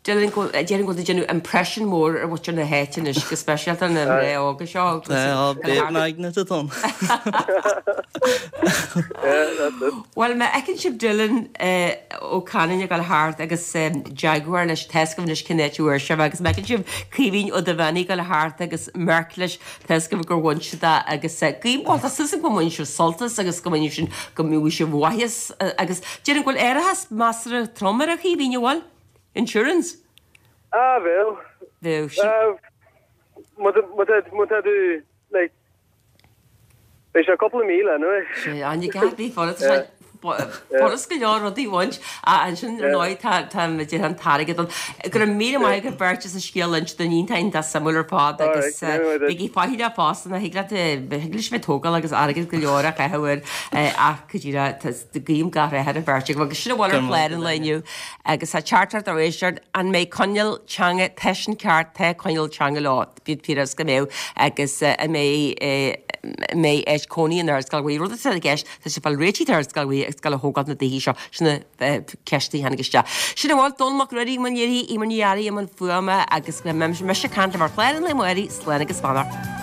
Déarfainn go déarfainn go bhfuil tú ag déanamh impression mór ar mhuintir na háite anois, go speisialta na mná óga seo. Tá babe magnet atá ann. Bhuel, má fheiceann sibh Dylan Ó Canainn ag dul thart agus Jaguar leis, tá fhios agaibh anois cén áit a bhfuair sibh agus má fheiceann sibh Caoimhín Ó Duibheannaigh ag dul thart agus Merc leis, tá fhios agaibh gur bhain siad é agus guím, bhuel, tá súil agam go mbainfidh sibh sult as agus go mbainfidh sin, go mbeidh sibh mhaitheas agus déarfainn go bhfuil árachas measartha trom air a Chaoimhín, an bhfuil? Insurance? Ah, bheadh. Bheadh. Ah, má tá tú, like, beidh sé cúpla míle anyway. Sé, an gceart bhí furast furast go leor rudaí a bhaint ach ansin ar ndóigh tá tá déarfainn an t-airgead ann. Go raibh míle maith agat beirt as an scéal a inse dúinn iontach iontach suimiúil ar fad agus bígí faichilleach fosta ná thig leat thig leis bheith tógáil agus airgead go leor a chaitheamh air ach go díreach guím gach rath ar an bheirt agaibh agus sin a bhfuil ar chlár an lae inniu agus tá teachtaireacht ó éisteoir an mbeidh coinníoll teanga tá sin ceart tá coinníoll teanga leo bíodh fíor go mbeidh agus an mbeidh mbeidh áit cónaí in Ardscoil Ghaoth rud atá i gceist tá sé fáil réitithe d'Ardscoil Ghaoth agus ag dul a thógáil na dtithe seo sin na ceisteanna a tháinig isteach. Sin a bhfuil Dónall Mac Ruairí i mbun léirithe, Eimear Ní Fhearraigh i mbun fuaime agus go mbeidh mise ag caint libh ar chlár an lae amárach, slán agus beannacht.